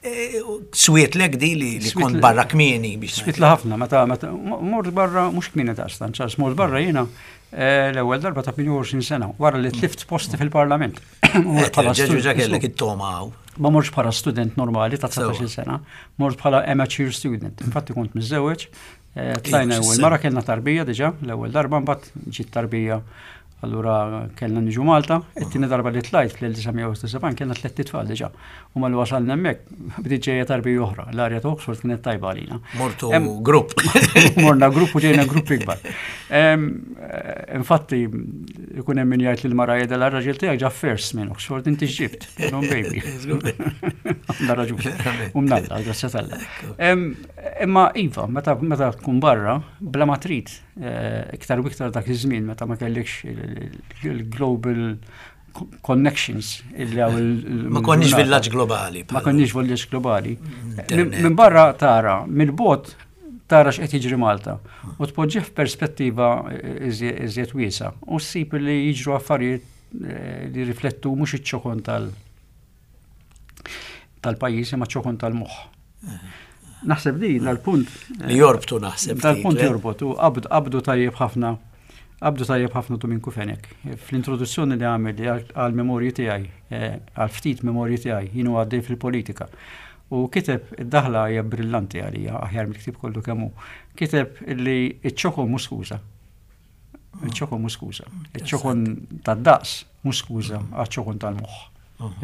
E, Swietlek di li, li Swiet kont le- barra kmieni biex Swietli ħafna, meta meta mort barra mhux kmieni daqstan, Charles, mort barra jiena eh, l-ewwel darba ta' tmienja u għoxrin sena, wara li tlift posti fil-Parlament. Mort bħala Ġeġu stud- ġa kellek it-toma hawn. Ma mortx bħala student normali ta' Sewa. dsatax-il sena, mort bħala amateur student. Infatti kont miżżewweġ, eh, tlajna Iva, ewwel x'isem. mara, kellna tarbija diġà, l-ewwel darba, mbagħad ġiet tarbija, allura kellna niġu Malta. It-tieni darba li tlajt fl-elf disa' mija u sebgħin kellna tliet tfal diġà. U mal wasalna hemmhekk bdiet ġejja tarbija oħra. L-arja ta' Oxford kienet tajba għalina. Mortu Em, grupp. Morna grupp u ġejna grupp ikbar. Em, eh, Infatti, ikun hemm min jgħid lil mara jgħidha, "R-raġel tiegħek ġab first minn Oxford, inti x'ġibt?" Non baby. Għandha raġun. U mnalla, grazzi t'Alla. Em, Imma iva, meta meta tkun barra, bla ma trid, eh, iktar u iktar dak iż-żmien meta ma kellekx il-global connections illi hawn il- Ma konniex il-ġurnata. villaġġ globali. Ma konniex villaġġ globali. Internet. Minn barra tara, mill-bogħod tara x'qed jiġri Malta u tpoġġih f'perspettiva iżjed wiesa u ssib li jiġru affarijiet eh, li riflettu mhux iċ-ċokon tal tal-pajjiż imma ċokon tal-moħħ. Naħseb li dal-punt Li jorbtu naħseb. Dal-punt ftit, le? jorbot u qabdu qabdu tajjeb ħafna qabdu tajjeb ħafna Duminku Fenech. Fl-introduzzjoni li għamel li għal memorji tiegħi, eh, għal ftit memorji tiegħi jienu għaddej fil-politika. U kiteb, id-daħla hija brillanti għalija, aħjar mill-ktib kollu kemm hu. Kiteb li iċ-ċokon mhux skuża. Iċ-ċokon mhux skuża. Iċ-ċokon tad-daqs mhux skuża għaċ-ċokon tal-moħħ.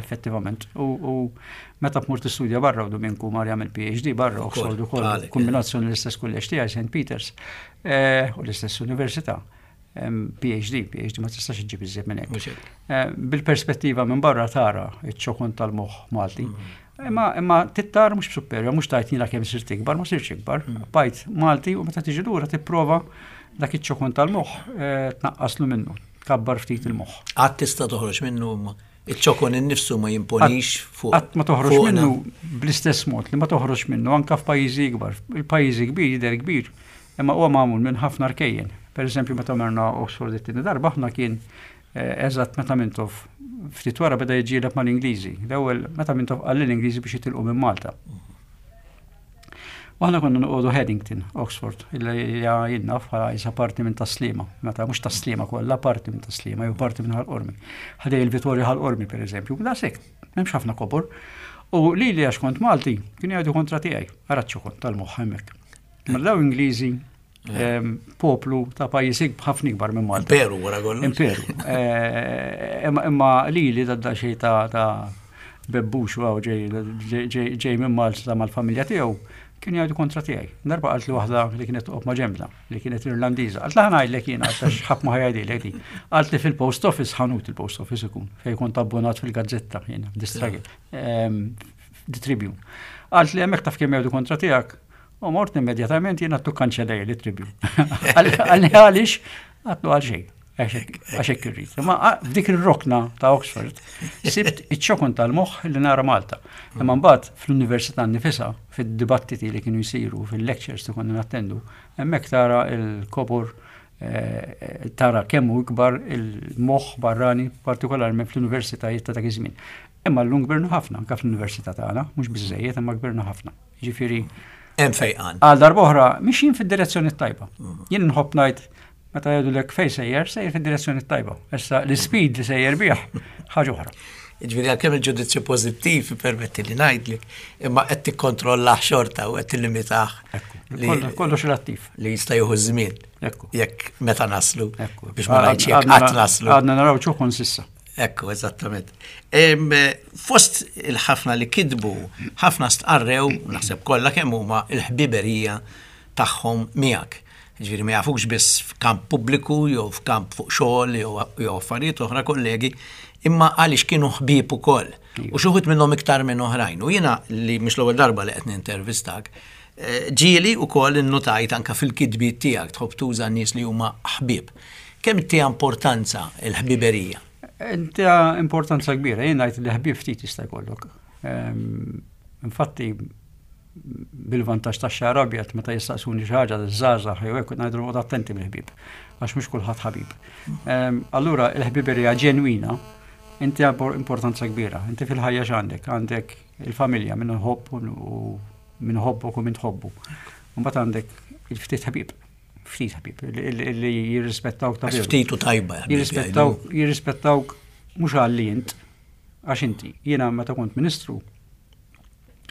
Effettivament. U, u meta tmur tistudja barra, u Duminku mar jagħmel P H D barra, Oxford ukoll, għalek, kombinazzjoni l-istess kulleġġ tiegħi, Saint Peters, eh, u l-istess università. P H D, P H D ma tistax iġġib iżjed minn hekk. Eh, bil-perspettiva minn barra tara iċ-ċokon tal-moħħ Malti. Mm. Imma imma tittar mhux b'superja, mhux tajt jiena kemm sirt ikbar, ma sirtx ikbar. Mm. Bajt Malti u meta tiġi lura tipprova dak iċ-ċokon tal-moħħ eh, tnaqqaslu minnu, tkabbar ftit il-moħħ. Qatt tista' toħroġ minnu, iċ-ċokon innifsu ma jimponix fuq. Qatt ma toħroġ minnu bl-istess mod li ma toħroġ minnu anka f'pajjiżi ikbar. Il-pajjiżi kbir jidher kbir, imma huwa magħmul minn ħafna rkejjen. Per eżempju, meta marna Oxford it-tieni darba, aħna kien eh, eżatt meta Mintoff ftit wara beda jiġġieled mal-Ingliżi. L-ewwel meta Mintoff qal l-Ingliżi biex jitilqu minn Malta. U aħna konna noqogħdu Headington, Oxford, illi hija jiena naf bħala isa parti minn Tas-Sliema, meta mhux Tas-Sliema kollha, parti minn Tas-Sliema jew parti minn Ħal Qormi. Ħdejn il-Vitorja Ħal Qormi, pereżempju, da sek, m'hemmx ħafna kobor. U li li għax kont Malti, kienu jgħidu kontra tiegħi, ara ċokon tal-moħħ hemmhekk. Ma daw Ingliżi, poplu ta' pajjiż ħafna ikbar minn Malta. Imperu wara kollox. Imperu. Eh, imma li li da xej ta' ta' bebbux u ġej ġej minn Malta mal-familja tiegħu, kienu jgħidu kontra tiegħi. Darba qalt li waħda li kienet toqgħod ma' ġembna, li kienet Irlandiża. Qalt ħa ngħidlek jiena għax ħadd ma ħa jgħidilek di. Qalt li fil-post office, ħanut il-post office ikun fejn kont abbonat fil-gazzetta jiena, The Struggle, The Tribune. Qalt li hemmhekk taf kemm jgħidu kontra tiegħek. U mort immedjatament jiena tu kanċellej li Tribune. Qalli għaliex, għedtlu għal xejn. Għax hekk irrid. Ma f'dik ir-rokna ta' Oxford sibt iċ-ċokon tal-moħħ li nara Malta. Imma mbagħad fl-università nifisha, fid-dibattiti li kienu jsiru, fil-lectures li konna nattendu, hemmhekk tara il-kobor, eh, tara kemm hu ikbar il-moħħ barrani, partikolarment fl-universitajiet ta' dak iż-żmien. Imma llum kbirna ħafna, anke fl-università tagħna, mhux biżejjed, imma kbirna ħafna. Ġifieri Hemm fejqan. Għal darb'oħra mixjin fid-direzzjoni tajba. Jien nħobb ngħid meta jgħidulek fejn sejjer, sejjer fid-direzzjoni tajba. Issa l-speed li sejjer bih ħaġa oħra. Ġifieri għalkemm il-ġudizzju pożittiv, permetti li ngħidlek, imma qed tikkontrollah xorta u qed tillimitah. Kollox relattiv. Li jista' jieħu żmien. Jekk meta naslu. Biex ma ngħidx jekk qatt naslu. Għadna naraw ċokon s'issa. Ekku, eżattament. Fost il-ħafna li kitbu, ħafna stqarrew, naħseb kollha kemm huma, il-ħbiberija tagħhom miegħek. Ġifieri ma jafukx biss f'kamp pubbliku jew f'kamp fuq xogħol jew affarijiet oħra, kollegi, imma għaliex kienu ħbieb ukoll. U xi wħud minnhom iktar minn oħrajn. U jiena li mhux l-ewwel darba li qed nintervistak, eh, ġieli ukoll innotajt anka fil-kitbiet tiegħek tħobb tuża nies li huma ħbieb. Kemm tiha importanza il-ħbiberija? Inti importanza kbira, jien ngħid li ħbieb ftit jista' jkollok. Ehm, infatti, bil-vantaġġ ta' xagħar abjad, meta jistaqsuni xi ħaġa żgħażagħ jew hekk, ngħidu noqgħod attenti mill-ħbieb għax mhux kulħadd ħabib. Ehm, allura il-ħbiberija ġenwina inti importanza kbira. Inti fil-ħajja x'għandek? Għandek il-familja, min ħobb u min ħobbok u min tħobbu. Mbagħad għandek il-ftit ħbieb, ftit ħbieb li jirrispettawk ta' Ftit u tajba. Jirrispettawk, jirrispettawk mhux għalli int, għax inti. Jiena meta kont ministru,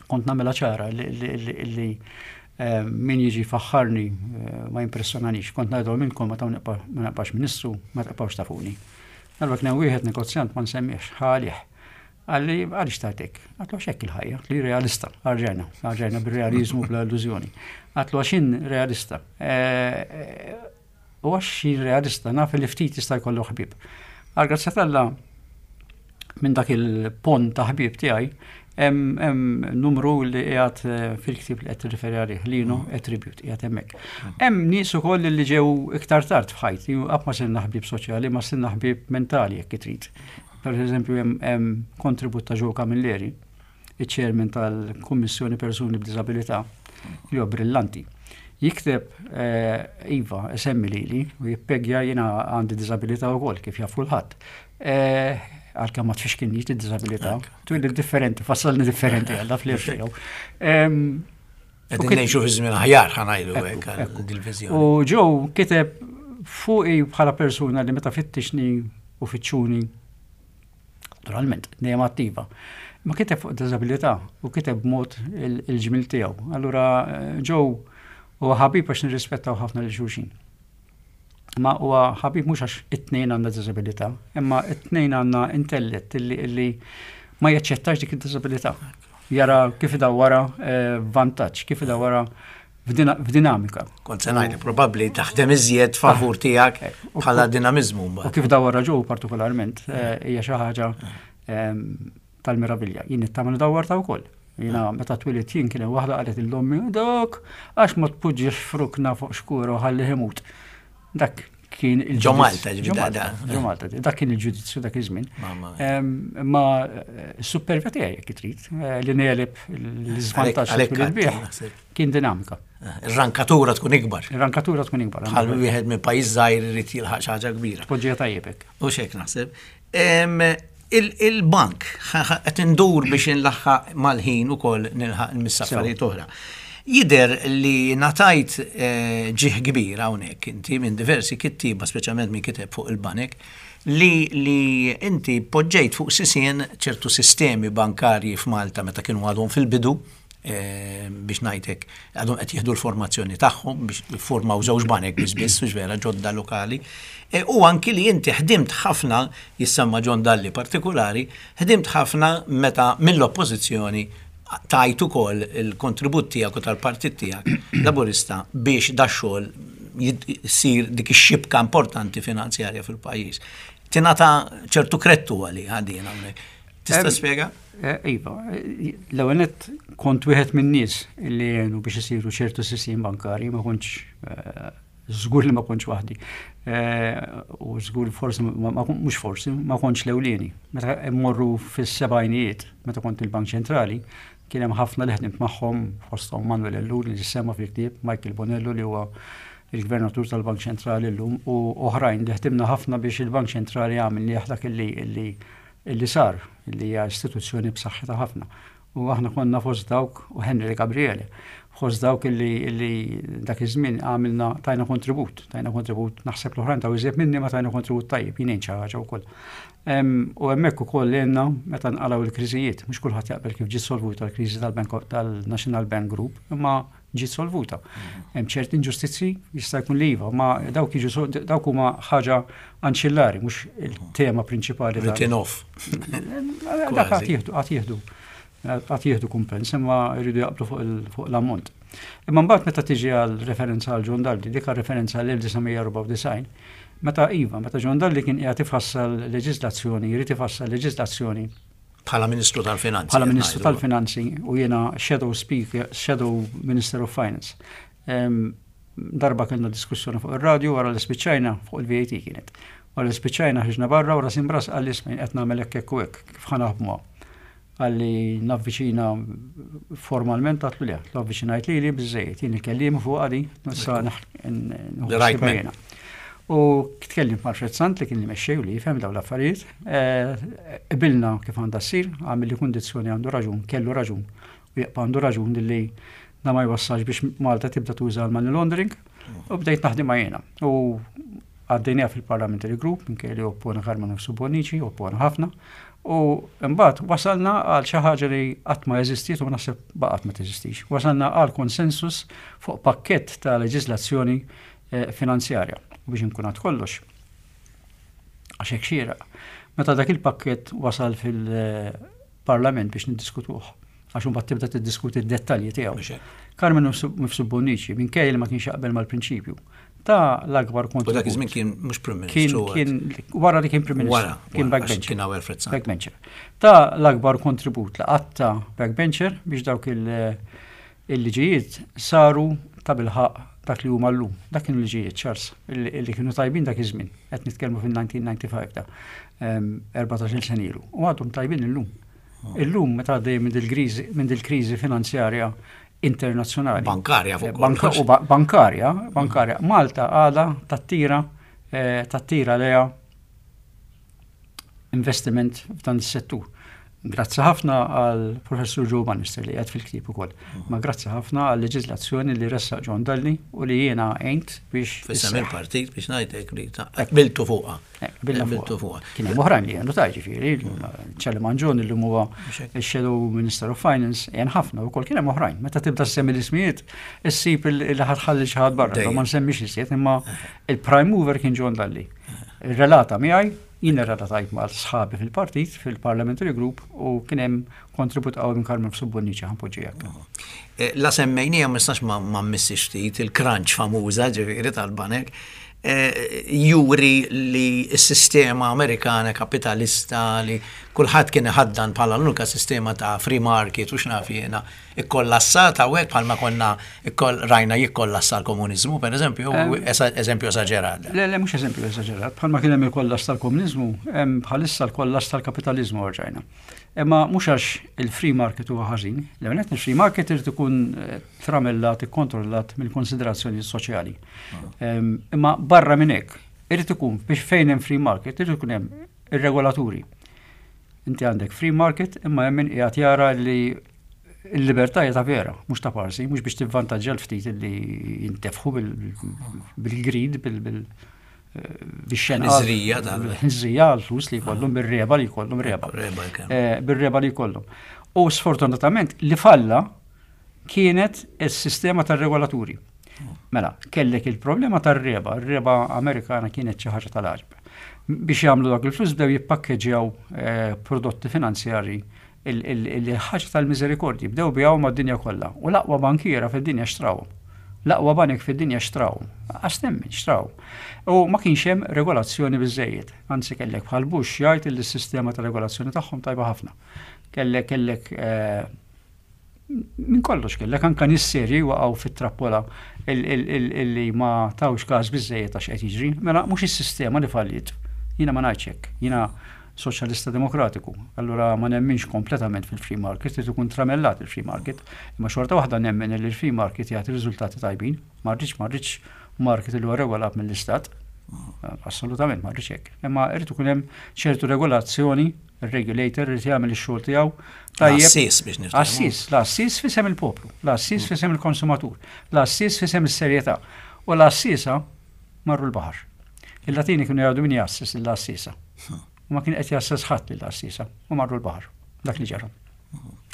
kont nagħmilha ċara li eh, min jiġi faħħarni eh, ma jimpressjonanix. Kont ngħidu minnkom meta ma nibqax ministru ma tibqgħux tafuni. Darba kien wieħed negozjant, ma nsemmiex, ħalih. Qalli, "Għaliex tajtek?" Għedtlu xek il-ħajja, li realista, għarġajna, għarġajna bil-realizmu bla illużjoni. Għedtlu għax jien realista. Eh, u għax jien realista naf li ftit jista' jkollu ħbieb. Għal grazzja t'Alla minn dak il-pont ta' ħbieb tiegħi hemm numru li qiegħed eh, fil-ktib li qed tirriferi għalih, Lino, A Tribute, qiegħed hemmhekk. Hemm nies ukoll li ġew iktar tard f'ħajti, qatt ma sirna ħbieb soċjali, ma sirna ħbieb mentali jekk trid. Per eżempju, hemm kontribut ta' Joe Camilleri, il-chairman tal-Kummissjoni Persuni b'Disabilità, li huwa brillanti. Jikteb, eh, iva, esemmi lili u jippegja jiena għandi disabilità wkoll kif jaf kulħadd. Eh, għalkemm ma tfixkinniex id-disabilità, twilli differenti, fassalni differenti għalla fl-irxew. Qegħdin ngħixu fi żmien aħjar, ħa ngħidu hekk, dil-viżjoni. U Joe kiteb fuqi bħala persuna li meta fittixni u fittxuni, naturalment, dejjem attiva. Ma kiteb fuq disabilità u kiteb b'mod il-ġmil tiegħu. Allura Joe huwa ħabib għax nirrispettaw ħafna lil xulxin. Ma huwa ħabib mhux għax it-tnejn għandna disabilità, imma it-tnejn għandna intellett illi, illi ma jaċċettax dik id-disabilità. Jara kif idawwara eh, vantaġġ, kif idawwara f'dinamika. Kont se ngħid, probabbli taħdem iżjed favur tiegħek bħala dinamiżmu. U kif dawar Joe partikolarment eh, hija xi ħaġa ehm, tal-meravilja. Jien nittama dawar ta' wkoll. Jiena meta twilidt jien kien hemm waħda qalet lil ommi dak għax ma tpoġġix f'rukna fuq xkura u ħalli imut. Dak kien il Ġo Malta, ġo Malta, ġo Malta, dak kien il-ġudizzju dak iż-żmien. Ma eh, supervja tiegħi jekk trid eh, li negħleb l-iżvantaġġ li kien dinamika. Eh, ir-rankatura tkun ikbar. Ir-rankatura tkun ikbar. Bħal wieħed minn pajjiż żgħir irid jilħaq xi ħaġa kbira. Tpoġġija tajjeb U xek naħseb. Il-bank qed indur biex inlaħħaq mal-ħin ukoll nilħaq il-miss oħra. Jidher li ngħatajt eh, ġieħ kbir hawnhekk inti minn diversi kittiba, speċjalment minn kiteb fuq il-banek, li, li inti poġġejt fuq sisien ċertu sistemi bankarji f'Malta meta kienu għadhom fil-bidu, eh, biex ngħidlek għadhom qed jieħdu l-formazzjoni tagħhom biex formaw żewġ banek biss biss, vera ġodda lokali. E, u anki li inti ħdimt ħafna, jissemma John Dalli partikolari, ħdimt ħafna meta mill-oppożizzjoni tajt ukoll il-kontribut tiegħek u tal-partit tiegħek Laburista biex da xogħol jsir dik ix-xibka importanti finanzjarja fil-pajjiż. Tingħata ċertu krettu għali għadin hawnhekk. Tista' spjega? Eh, iva, l-ewwel kont wieħed minn nies li għenu biex isiru ċertu sistemi bankari, ma kontx eh, żgur li ma kontx waħdi. Eh, u żgur forsi, mhux forsi, ma kontx l-ewlieni. Meta mmorru fis-sebgħinijiet, meta kont il-Bank Ċentrali, kien hemm ħafna li ħdimt magħhom fosthom Manuel Ellul li semma fil-ktieb, Michael Bonello li huwa il-gvernatur tal-Bank Ċentrali llum u oħrajn li ħdimna ħafna biex il-Bank Ċentrali għamil li dak illi illi sar, illi hija istituzzjoni b'saħħitha ħafna. U aħna konna fost dawk u Henry Gabriele, fost dawk illi, illi dak iż-żmien għamilna tajna kontribut, tajna kontribut, naħseb l-oħrajn taw iżjed minni ma tajna kontribut tajjeb, jien xi ħaġa wkoll. U hemmhekk ukoll għenna meta nqalgħu l-kriżijiet, mhux kulħadd jaqbel kif ġiet solvuta l-kriżi tal-Bank tal-National Bank Group, imma ġiet solvuta. Hemm ċerti inġustizzi jista' jkun li iva, ma dawk jiġu dawk huma ħaġa anċillari, mhux il-tema prinċipali. Written off. Dak għad jieħdu, għad jieħdu għad jieħdu kumpens, imma jridu jaqblu fuq l-ammont. Imma mbagħad meta tiġi għal referenza għal John Dalli, dik referenza għal elf disa' mija erbgħa u disgħin, meta iva, meta John Dalli kien qiegħed ifassal leġiżlazzjoni, jrid ifassal leġiżlazzjoni Bħala Ministru tal-Finanzi. Bħala Ministru tal-Finanzi u jiena Shadow Speaker, Shadow Minister of Finance. Darba kellna diskussjoni fuq ir-radio wara li spiċċajna fuq il-V A T kienet. Wara li spiċċajna ħriġna barra u ras imb'ras qalli, "Isma', qed nagħmel hekk hekk u hekk, kif ħa naħdmuha?" Qalli navviċina formalment, għedtlu le, l-avviċinajt li li biżżejjed, jien il-kellim fuq għadi, nissa. U tkellim ma' Alfred Sant li kien li mexxej u li jifhem dawn l-affarijiet, eh, qbilna kif għandha ssir, għamel li kundizzjoni, għandu raġun, kellu raġun, u jibqa' għandu raġun li da ma jwassalx biex Malta tibda tuża l-money laundering, u bdejt naħdem jiena. U għaddejniha fil-Parliamentary Group, minkejja li oppona Karmenu Mifsud Bonnici, oppona ħafna, u mbagħad wasalna għal xi ħaġa li qatt ma eżistiet u naħseb baqgħet ma teżistix. Wasalna għal konsensus fuq pakkett ta' leġislazzjoni eh, finanzjarja. U biex nkun għad kollox. Għax hekk xieraq. Meta dak il-pakkett wasal fil-Parlament biex niddiskutuh, għax imbagħad tibda tiddiskuti d-dettalji tiegħu. Karmenu Mifsud Bonnici, minkejja li ma kienx jaqbel mal-prinċipju, ta l-akbar kontribut. U dak iż-żmien kien mhux Prim Ministru. Kien wara li kien Prim Ministru. Wara, kien backbencher. Kien Alfred Sant. Backbencher. Ta l-akbar kontribut li qatta backbencher biex dawk il-liġijiet saru ta' bilħaq dak li huma llum. Dak kienu liġijiet, Charles, li kienu tajbin dak iż-żmien. Qed nitkellmu fil-elf disa' mija disgħa u disgħin ta' erbatax-il sena ilu. U għadhom tajbin illum. Oh. Illum meta għaddej minn dil-kriżi finanzjarja internazzjonali. Bankarja fuq. Banka, u bankarja, bankarja. Malta għada tattira eh, tattira leja investiment f'dan is-settur. Grazzi ħafna għal professur Joe Bannister li qiegħed fil-ktieb ukoll. Ma grazzi ħafna għal leġiżlazzjoni li ressaq John Dalli u li jiena għent biex. F'isem il-partit biex ngħidlek li qbiltu fuqha. Qbiltu fuqha. Kien hemm oħrajn li għenu ta' ġifieri, Charlie Mangion li huwa il-Shadow Minister of Finance, għen ħafna wkoll, kien hemm oħrajn. Meta tibda semmi l-ismijiet, issib li ħa tħalli xi ħadd barra, ma nsemmix iżjed, imma il-prime mover kien John Dalli. Relata miegħi. Jien irrelatajt ma' sħabi fil-partit, fil-parliamentary group, u kien hemm kontribut qawwi minn Karmenu Mifsud Bonnici, ħa npoġġi hekk. Eh, la semmejnija ma nistax ma mmissix ftit il-crunch famuża, ġifieri tal-banek, eh, juri li s-sistema Amerikana kapitalista li kulħadd kien iħaddan bħala l-unika sistema ta' free market u x'naf jiena ikkollassata u hekk bħalma konna rajna jikkollassa l-komuniżmu, per eżempju, eżempju esaġerat. Le, le, mhux eżempju esaġerat, bħalma kien hemm il-kollass tal-komuniżmu, hemm bħalissa l-kollass tal-kapitaliżmu rġajna. Imma mhux għax il-free market huwa ħażin, l il-free market irid ikun eh, tramellat, ikkontrollat mill-konsiderazzjoni soċjali. Imma barra minn hekk, irid ikun biex fejn hemm free market, irid ikun hemm ir-regolaturi. Inti għandek free market, imma hemm min qiegħed jara li l-libertà hija ta' vera, mhux ta' parsi, mhux biex tivvantaġġja l-ftit li jintefħu bil-greed, bil bix-xena. Ħniżrija Ħniżrija għal-flus li jkollhom, bir-reba li jkollhom reba. Eh, bir-reba li jkollhom. U sfortunatament li falla kienet is-sistema tar-regolaturi. Mela, kellek il-problema tar-reba, ir-reba Amerikana kienet xi ħaġa tal-għaġeb. Biex jagħmlu dak il-flus bdew jippakkeġġjaw eh, prodotti finanzjari il-ħaġa tal-miżerikordji, bdew ibigħu mad-dinja kollha. U l-aqwa bankiera fid-dinja xtrawhom. L-aqwa banek fid-dinja xtraw. Għax temmen, xtraw. U ma kienx hemm regolazzjoni biżejjed. Anzi, kellek bħal Bush jgħid li s-sistema ta' regolazzjoni tagħhom tajba ħafna. Kellek kellek eh, minn kollox, kellek anka nies serji waqgħu fit-trappola illi ma tawx każ biżejjed għax qed jiġri. Mela mhux is-sistema li falliet. Jiena ma ngħidx hekk. Jiena soċjalista demokratiku. Allura ma nemminx kompletament fil-free market, irid ikun tramellat il-free market. Imma xorta waħda nemmen li l-free market jagħti riżultati tajbin. Ma rridx ma rridx market li huwa regolat mill-istat. Assolutament ma rridx hekk. Imma irid ikun hemm ċertu regolazzjoni, il-regulator irid jagħmel ix-xogħol tiegħu. Tajjeb. Għassis biex niftehmu. Għassis, l-għassis f'isem il-poplu, l-għassis f'isem il-konsumatur, l-għassis f'isem is-serjetà. U l-għassisa marru l-baħar. Il-Latini kienu jgħidu min jgħassis l-għassisa. U ma kien qed jgħasses ħadd lill-għassisa u marru l-baħar. Dak li ġara.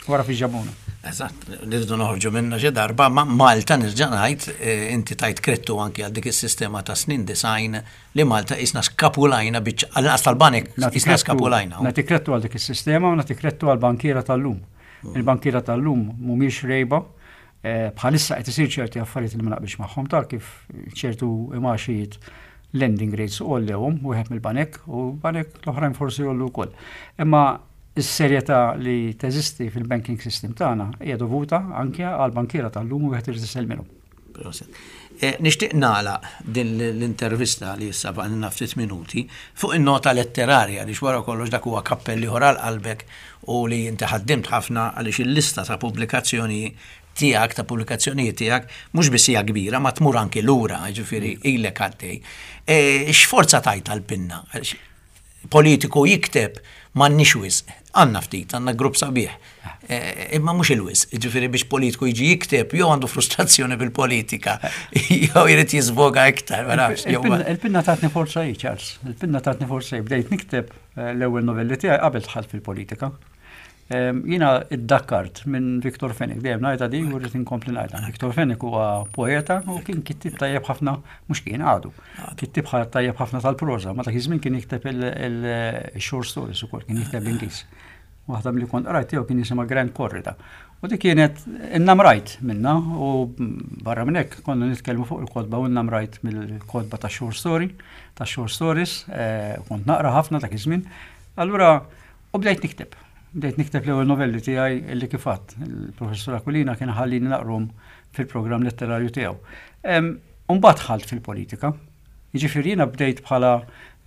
Wara fi ġabuna. Eżatt, nirdu noħorġu minna xi darba, ma Malta nerġa' ngħid, eh, inti tajt krettu anki għal dik is-sistema ta' snin disgħin li Malta isna skapulajna biċ għal tal-banek isna skapulajna. Nagħti krettu għal dik is-sistema u nagħti krettu għal bankiera tal-lum. Il-bankiera tal-lum mhumiex rejba, eh, bħalissa qed isir ċerti affarijiet li ma naqbilx magħhom, ta' kif ċertu imaxijiet, lending rates għollewhom wieħed mill-banek u banek l-oħrajn forsi jgħollu wkoll. Imma is-serjetà li teżisti fil-banking system tagħna hija dovuta anke għal bankiera tal-lum u wieħed irid isellmilhom. Proset. Eh, Nixtieq nagħlaq din l-intervista li issa baqgħna ftit minuti fuq in-nota letterarja li wara kollox dak huwa kappelli ieħor għal qalbek u li inti ħaddimt ħafna, għaliex il-lista ta' pubblikazzjoni tiegħek, ta' pubblikazzjonijiet tiegħek, mhux biss hija kbira, ma tmur anki lura, ġifieri ilek għaddej. Eh, X'forza tajt għal-pinna? Għaliex politiku jikteb m'għandniex wisq, għandna ftit, għandna grupp sabiħ. Eh, Imma mhux il-wisq, ġifieri biex politiku jiġi jikteb, jew għandu frustrazzjoni bil-politika, jew jrid jiżvoga iktar, ma nafx. jew Il-pinna il-pinna tatni forza hi, Charles. Il-pinna tatni forza hi. Bdejt nikteb eh, l-ewwel novelli tiegħi qabel dħalt fil-politika. Em, Jiena iddakkart minn Victor Fenech, dejjem ngħidha di u rrid inkompli ngħidha. Victor Fenech huwa poeta u kien kittib tajjeb ħafna, mhux kien, għadu. Kittib ħa- tajjeb ħafna tal-proża, ma dak iż-żmien kien jikteb il-short stories ukoll, kien jikteb l-Ingliż. Waħda milli kont qrajt tiegħu kien jisimha Grand Corrida. U dik kienet innamrajt minna u barra minn hekk konna nitkellmu fuq il-kotba u innamrajt mill-kotba ta' short story, ta' short stories, eh, kont naqra ħafna dak iż-żmien. Allura, u bdejt nikteb. Bdejt nikteb l-ewwel novelli tiegħi li kif għedt, il-professur Aquilina kien ħallini naqrahom fil-programm letterarju tiegħu. Mbagħad dħalt fil-politika. Jiġifieri jiena bdejt bħala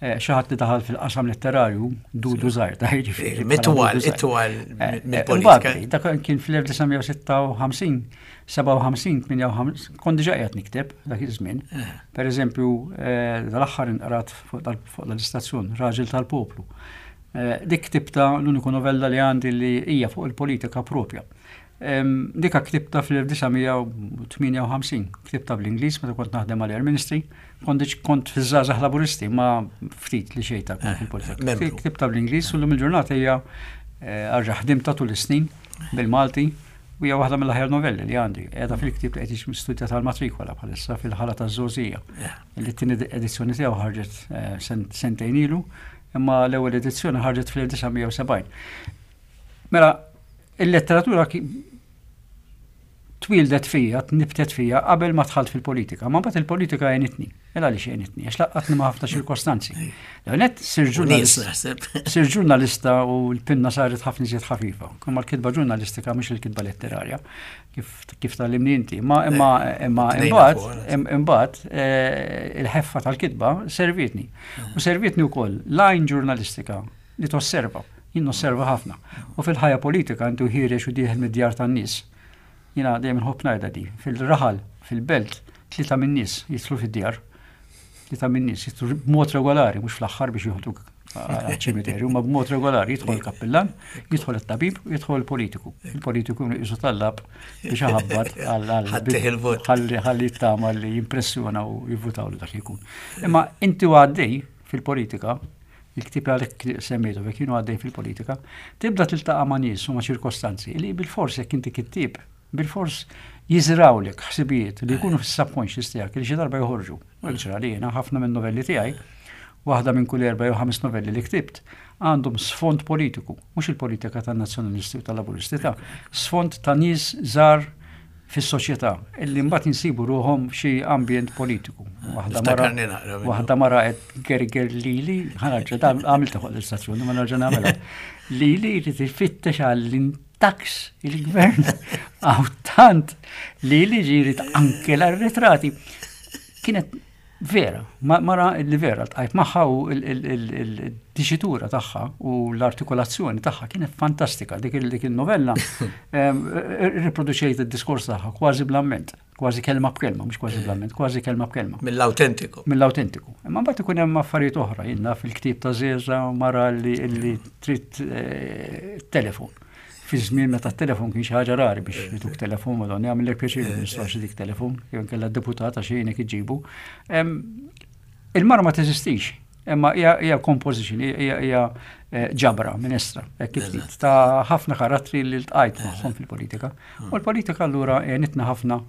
eh, xi ħadd li daħal fil-qasam letterarju dudu żgħir, ta' jiġifieri bħala Mitwal, dudu żgħir. Itwal Eh, eh, mill-politika. Mbagħad, dak kien fl-elf disa' mija u sitta u ħamsin, sebgħa u ħamsin, tmienja u ħamsin, kont diġà qiegħed nikteb dak iż-żmien. Per eżempju, eh, dal-aħħar inqrat fuq dal- fuq dal-istazzjon, Raġel tal-Poplu. Eh, Dik ktibta, l-uniku novella li għandi li hija fuq il-politika propja. Em, Dika ktibta fl-elf disa' mija u tmienja u ħamsin, ktibta bl-Ingliż meta kont naħdem għal Air Ministry, kont diġ- kont fiż-żgħażagħ Laburisti, ma ftit li xejn ta' kont fil-politika. Membru. Ktibta bl-Ingliż u llum il-ġurnata hija eh, arġa ħdimta tul is-snin bil-Malti u hija waħda mill-aħjar novelli li għandi. Qiegħda fil-ktieb li qed jiġi studja tal-matrikola bħalissa, fil-ħala taż-żgħożija. Li t-tieni edizzjoni tiegħu ħarġet eh, sentejn ilu. Imma l-ewwel edizzjoni ħarġet fl-elf disa' mija u sebgħin. Mela, il-letteratura twildet fija, nibtet fija qabel ma dħalt fil-politika. Ma mbagħad il-politika għenitni. Ela għaliex għenitni? Għax laqqgħatni ma' ħafna ċirkostanzi. L-għonet sir sir ġurnalista u l-pinna saret ħafna iżjed ħafifa. Kumma l-kitba ġurnalistika mhux il-kitba letterarja, kif kif tgħallimni inti. Ma imma imma imbagħad imbagħad eh, il-ħeffa tal-kitba servitni. U servitni wkoll l-għajn ġurnalistika li tosserva. Jien nosserva ħafna. U fil-ħajja politika intu ħiereġ u dieħel mid-djar tan-nies. Jiena dejjem nħobb ngħidha di. Fil-raħal, fil-belt, tlieta min-nies jidħlu fid-djar. Tlieta min-nies jidħlu b'mod regolari, mhux fl-aħħar biex joħduk ċimiterju, ma b'mod regolari jidħol il-kappillan, jidħol it-tabib, jidħol il-politiku. Il-politiku jisu tallab biex ħabbat ħalli ħalli tama li jimpressjona u jivvutaw li dak jkun. Imma inti għaddej fil-politika, il-ktib għalek semmejtu, kienu għaddej fil-politika, tibda tiltaqa' ma' nies u ma' ċirkostanzi li bil-fors jekk inti kittib, bil-fors jiżrawlek ħsibijiet li jkunu fis-subconscious tiegħek li xi darba joħorġu. U ġra li jiena ħafna minn novelli tiegħi, waħda minn kull erba' jew ħames novelli li ktibt, għandhom sfond politiku, mhux il-politika tan-nazzjonalisti u tal-laburisti ta' sfond ta' nies żgħar fis-soċjetà illi mbagħad insibu ruħhom xi ambjent politiku. Waħda mara waħda mara qed gerger lili, ħa nerġa' għamilta fuq l-istazzjoni ma nerġa' nagħmilha. Lili jrid ifittex għall-tax il-gvern għaw tant li li ġiri anke l-arretrati. Kienet vera, mara li vera, ltqajt magħha u il-diċitura tagħha u l-artikolazzjoni tagħha kienet fantastika. Dik il-novella riproduċejt id-diskors tagħha kważi bl-amment, kważi kelma b'kelma, mhux kważi bl-amment, kważi kelma b'kelma. Mill-autentiku. Mill-autentiku. Imma mbagħad ikun hemm affarijiet oħra, jiena fil-ktieb ta' Zeza mara li trid eh, telefon fi żmien meta t-telefon kien xi ħaġa rari biex jituk telefon, madonna jagħmellek pjaċir nistax dik telefon, jew inkella deputata xejn iġibu. Il-mara ma teżistix, imma hija composition, hija eh, ġabra, minestra, kif ta' ħafna karattri li ltqajt magħhom fil-politika. U l-politika allura għenitna ħafna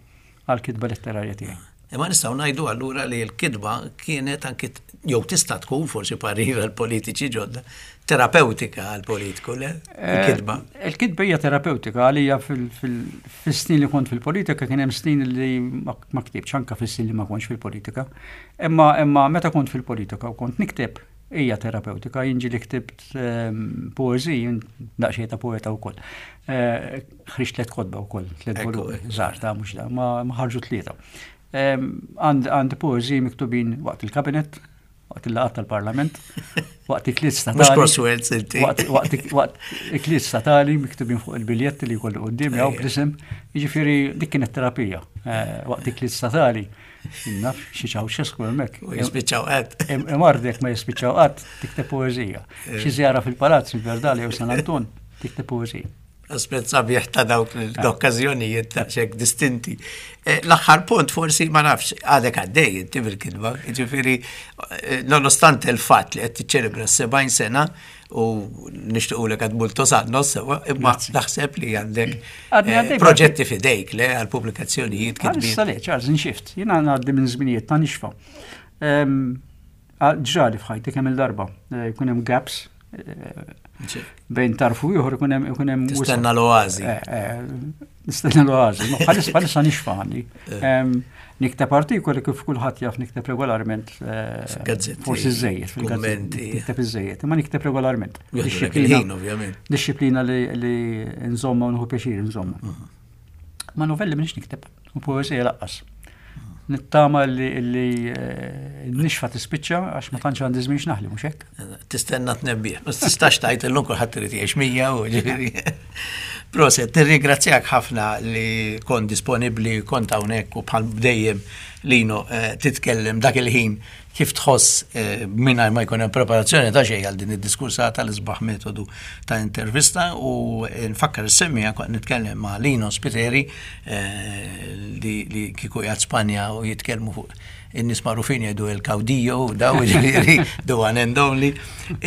għal-kitba letterarja tiegħi. Imma nistgħu ngħidu allura li l-kitba kienet anki jew tista' tkun forsi parir għal politiċi ġodda, terapeutika għal politiku, le? Il-kitba. Eh, il-kitba hija terapeutika għalija. Fil-snin li kont fil-politika kien hemm snin li ma ktibx, anke fis-snin li ma kontx fil-politika. Imma imma meta kont fil-politika u kont nikteb hija terapeutika, jien ġieli ktibt ehm, poeżiji, daqsxejn ta' poeta wkoll. Eh, ħriġt tliet kotba wkoll, tliet volumi, żgħar ta' mhux da, ma ħarġu tlieta. Għandi poeżiji miktubin waqt il-kabinet, waqt il-laqgħat tal-parlament, waqt ikliet statali. Mhux crosswords inti. Waqt ikliet statali miktubin fuq il-biljetti li jkollu quddiem jew bl-isem, jiġifieri dik kienet terapija. Eh, waqt ikliet statali, naf xi Ceausescu hemmhekk. U jispiċċaw qatt. Imardek ma jispiċċaw qatt, tikteb poeżija. Xi żjara fil-palazz il-Verdala jew San Anton, tikteb poeżija. Aspett sabiħ ta' dawk l-okkażjonijiet ta' xek distinti. Eh, l-aħħar punt forsi ma nafx għadek għaddej inti bil-kitba, ġifieri eh, nonostante il-fatt li qed tiċċelebra sebgħin sena u nixtiequlek għad multos annos sewa, imma naħseb li għandek eh, proġetti fidejk le għal pubblikazzjonijiet kitbin. Issa le, Charles, nxift, jiena ngħaddi minn żminijiet ta' nixfa. Ġrali f'ħajti kemm il-darba, jkun hemm gaps bejn tarfu ieħor ikun hemm ikun hemm Tistenna l-oazi. Eh, eh, nistenna l-oazi. Bħalissa bħalissa nixfa għandi. Nikteb artikoli kif kulħadd jaf nikteb regolarment. Eh, forsi żejjed fil-gazzetti. Nikteb iżejjed, imma nikteb regolarment. Disciplina, ovvjament. Disciplina li nżomma u nħu pjaċir nżomma. Mhm. Ma novelli m'iniex nikteb, u poeżija lanqas. Nittama li eh, nixfa tispiċċa għax ma tantx għandi żmien x'naħli, mhux hekk? Tistenna tnebbih. Ma tistax tgħid illum kulħadd irid jgħix mija u ġifieri. Proset, nirringrazzjak ħafna li kont disponibbli, kont hawnhekk u bħal dejjem Lino eh, titkellem dak il-ħin kif tħoss eh, mingħajr ma jkun hemm preparazzjoni ta' xejn għal din id-diskursata, l-isbaħ metodu ta' intervista. U nfakkar is-semmiegħa kont nitkellem ma' Lino Spiteri eh, li, li kieku qiegħed Spanja u jitkellmu fuq in-nies magħrufin jgħidu il-caudillo daw ġifieri the one and only,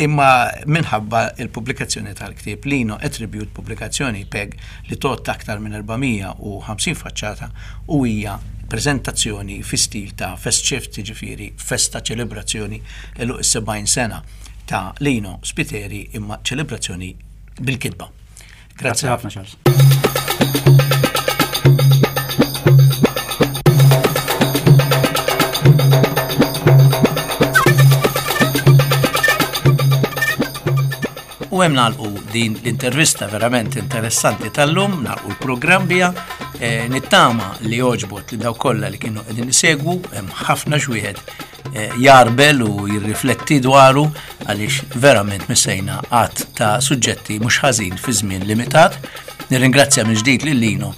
imma minħabba il-pubblikazzjoni tal-ktieb Lino A Tribute, pubblikazzjoni PEG li tot aktar minn erba' mija u ħamsin faċċata u hija prezentazzjoni fi stil ta' Festschrift, ġifieri festa ċelebrazzjoni għeluq is-sebgħin sena ta' Lino Spiteri, imma ċelebrazzjoni bil-kitba. Grazzi ħafna, Charles. U hemm nagħlqu din l-intervista verament interessanti tal-lum, nagħlqu l-programm biha, eh, nittama li għoġbot li daw kollha li kienu qegħdin isegwu, hemm ħafna xwieħed eh, jarbel u jirrifletti dwaru għaliex verament missejna għadd ta' suġġetti mhux ħażin fi żmien limitat. Nirringrazzja minn ġdid lil Lino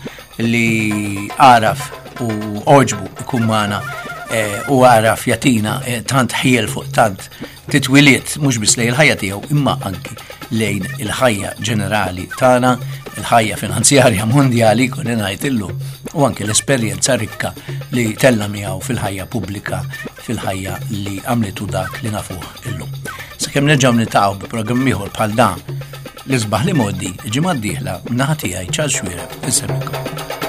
li għaraf u għoġbu ikun magħna eh, u għaraf jagħtina tant ħiel fuq tant titwiliet mhux biss lejn il-ħajja tiegħu imma anki lejn il-ħajja ġenerali tagħna, il-ħajja finanzjarja mondjali kolli ngħid illum u anki l-esperjenza rikka li tella miegħu fil-ħajja pubblika, fil-ħajja li għamlitu dak li nafuh illum. Sakemm nerġgħu niltaqgħu bi programm ieħor bħal dan l-isbaħ li modi, il-ġimgħa d-dieħla naħa tiegħi Charles Xuereb, insellmilkom.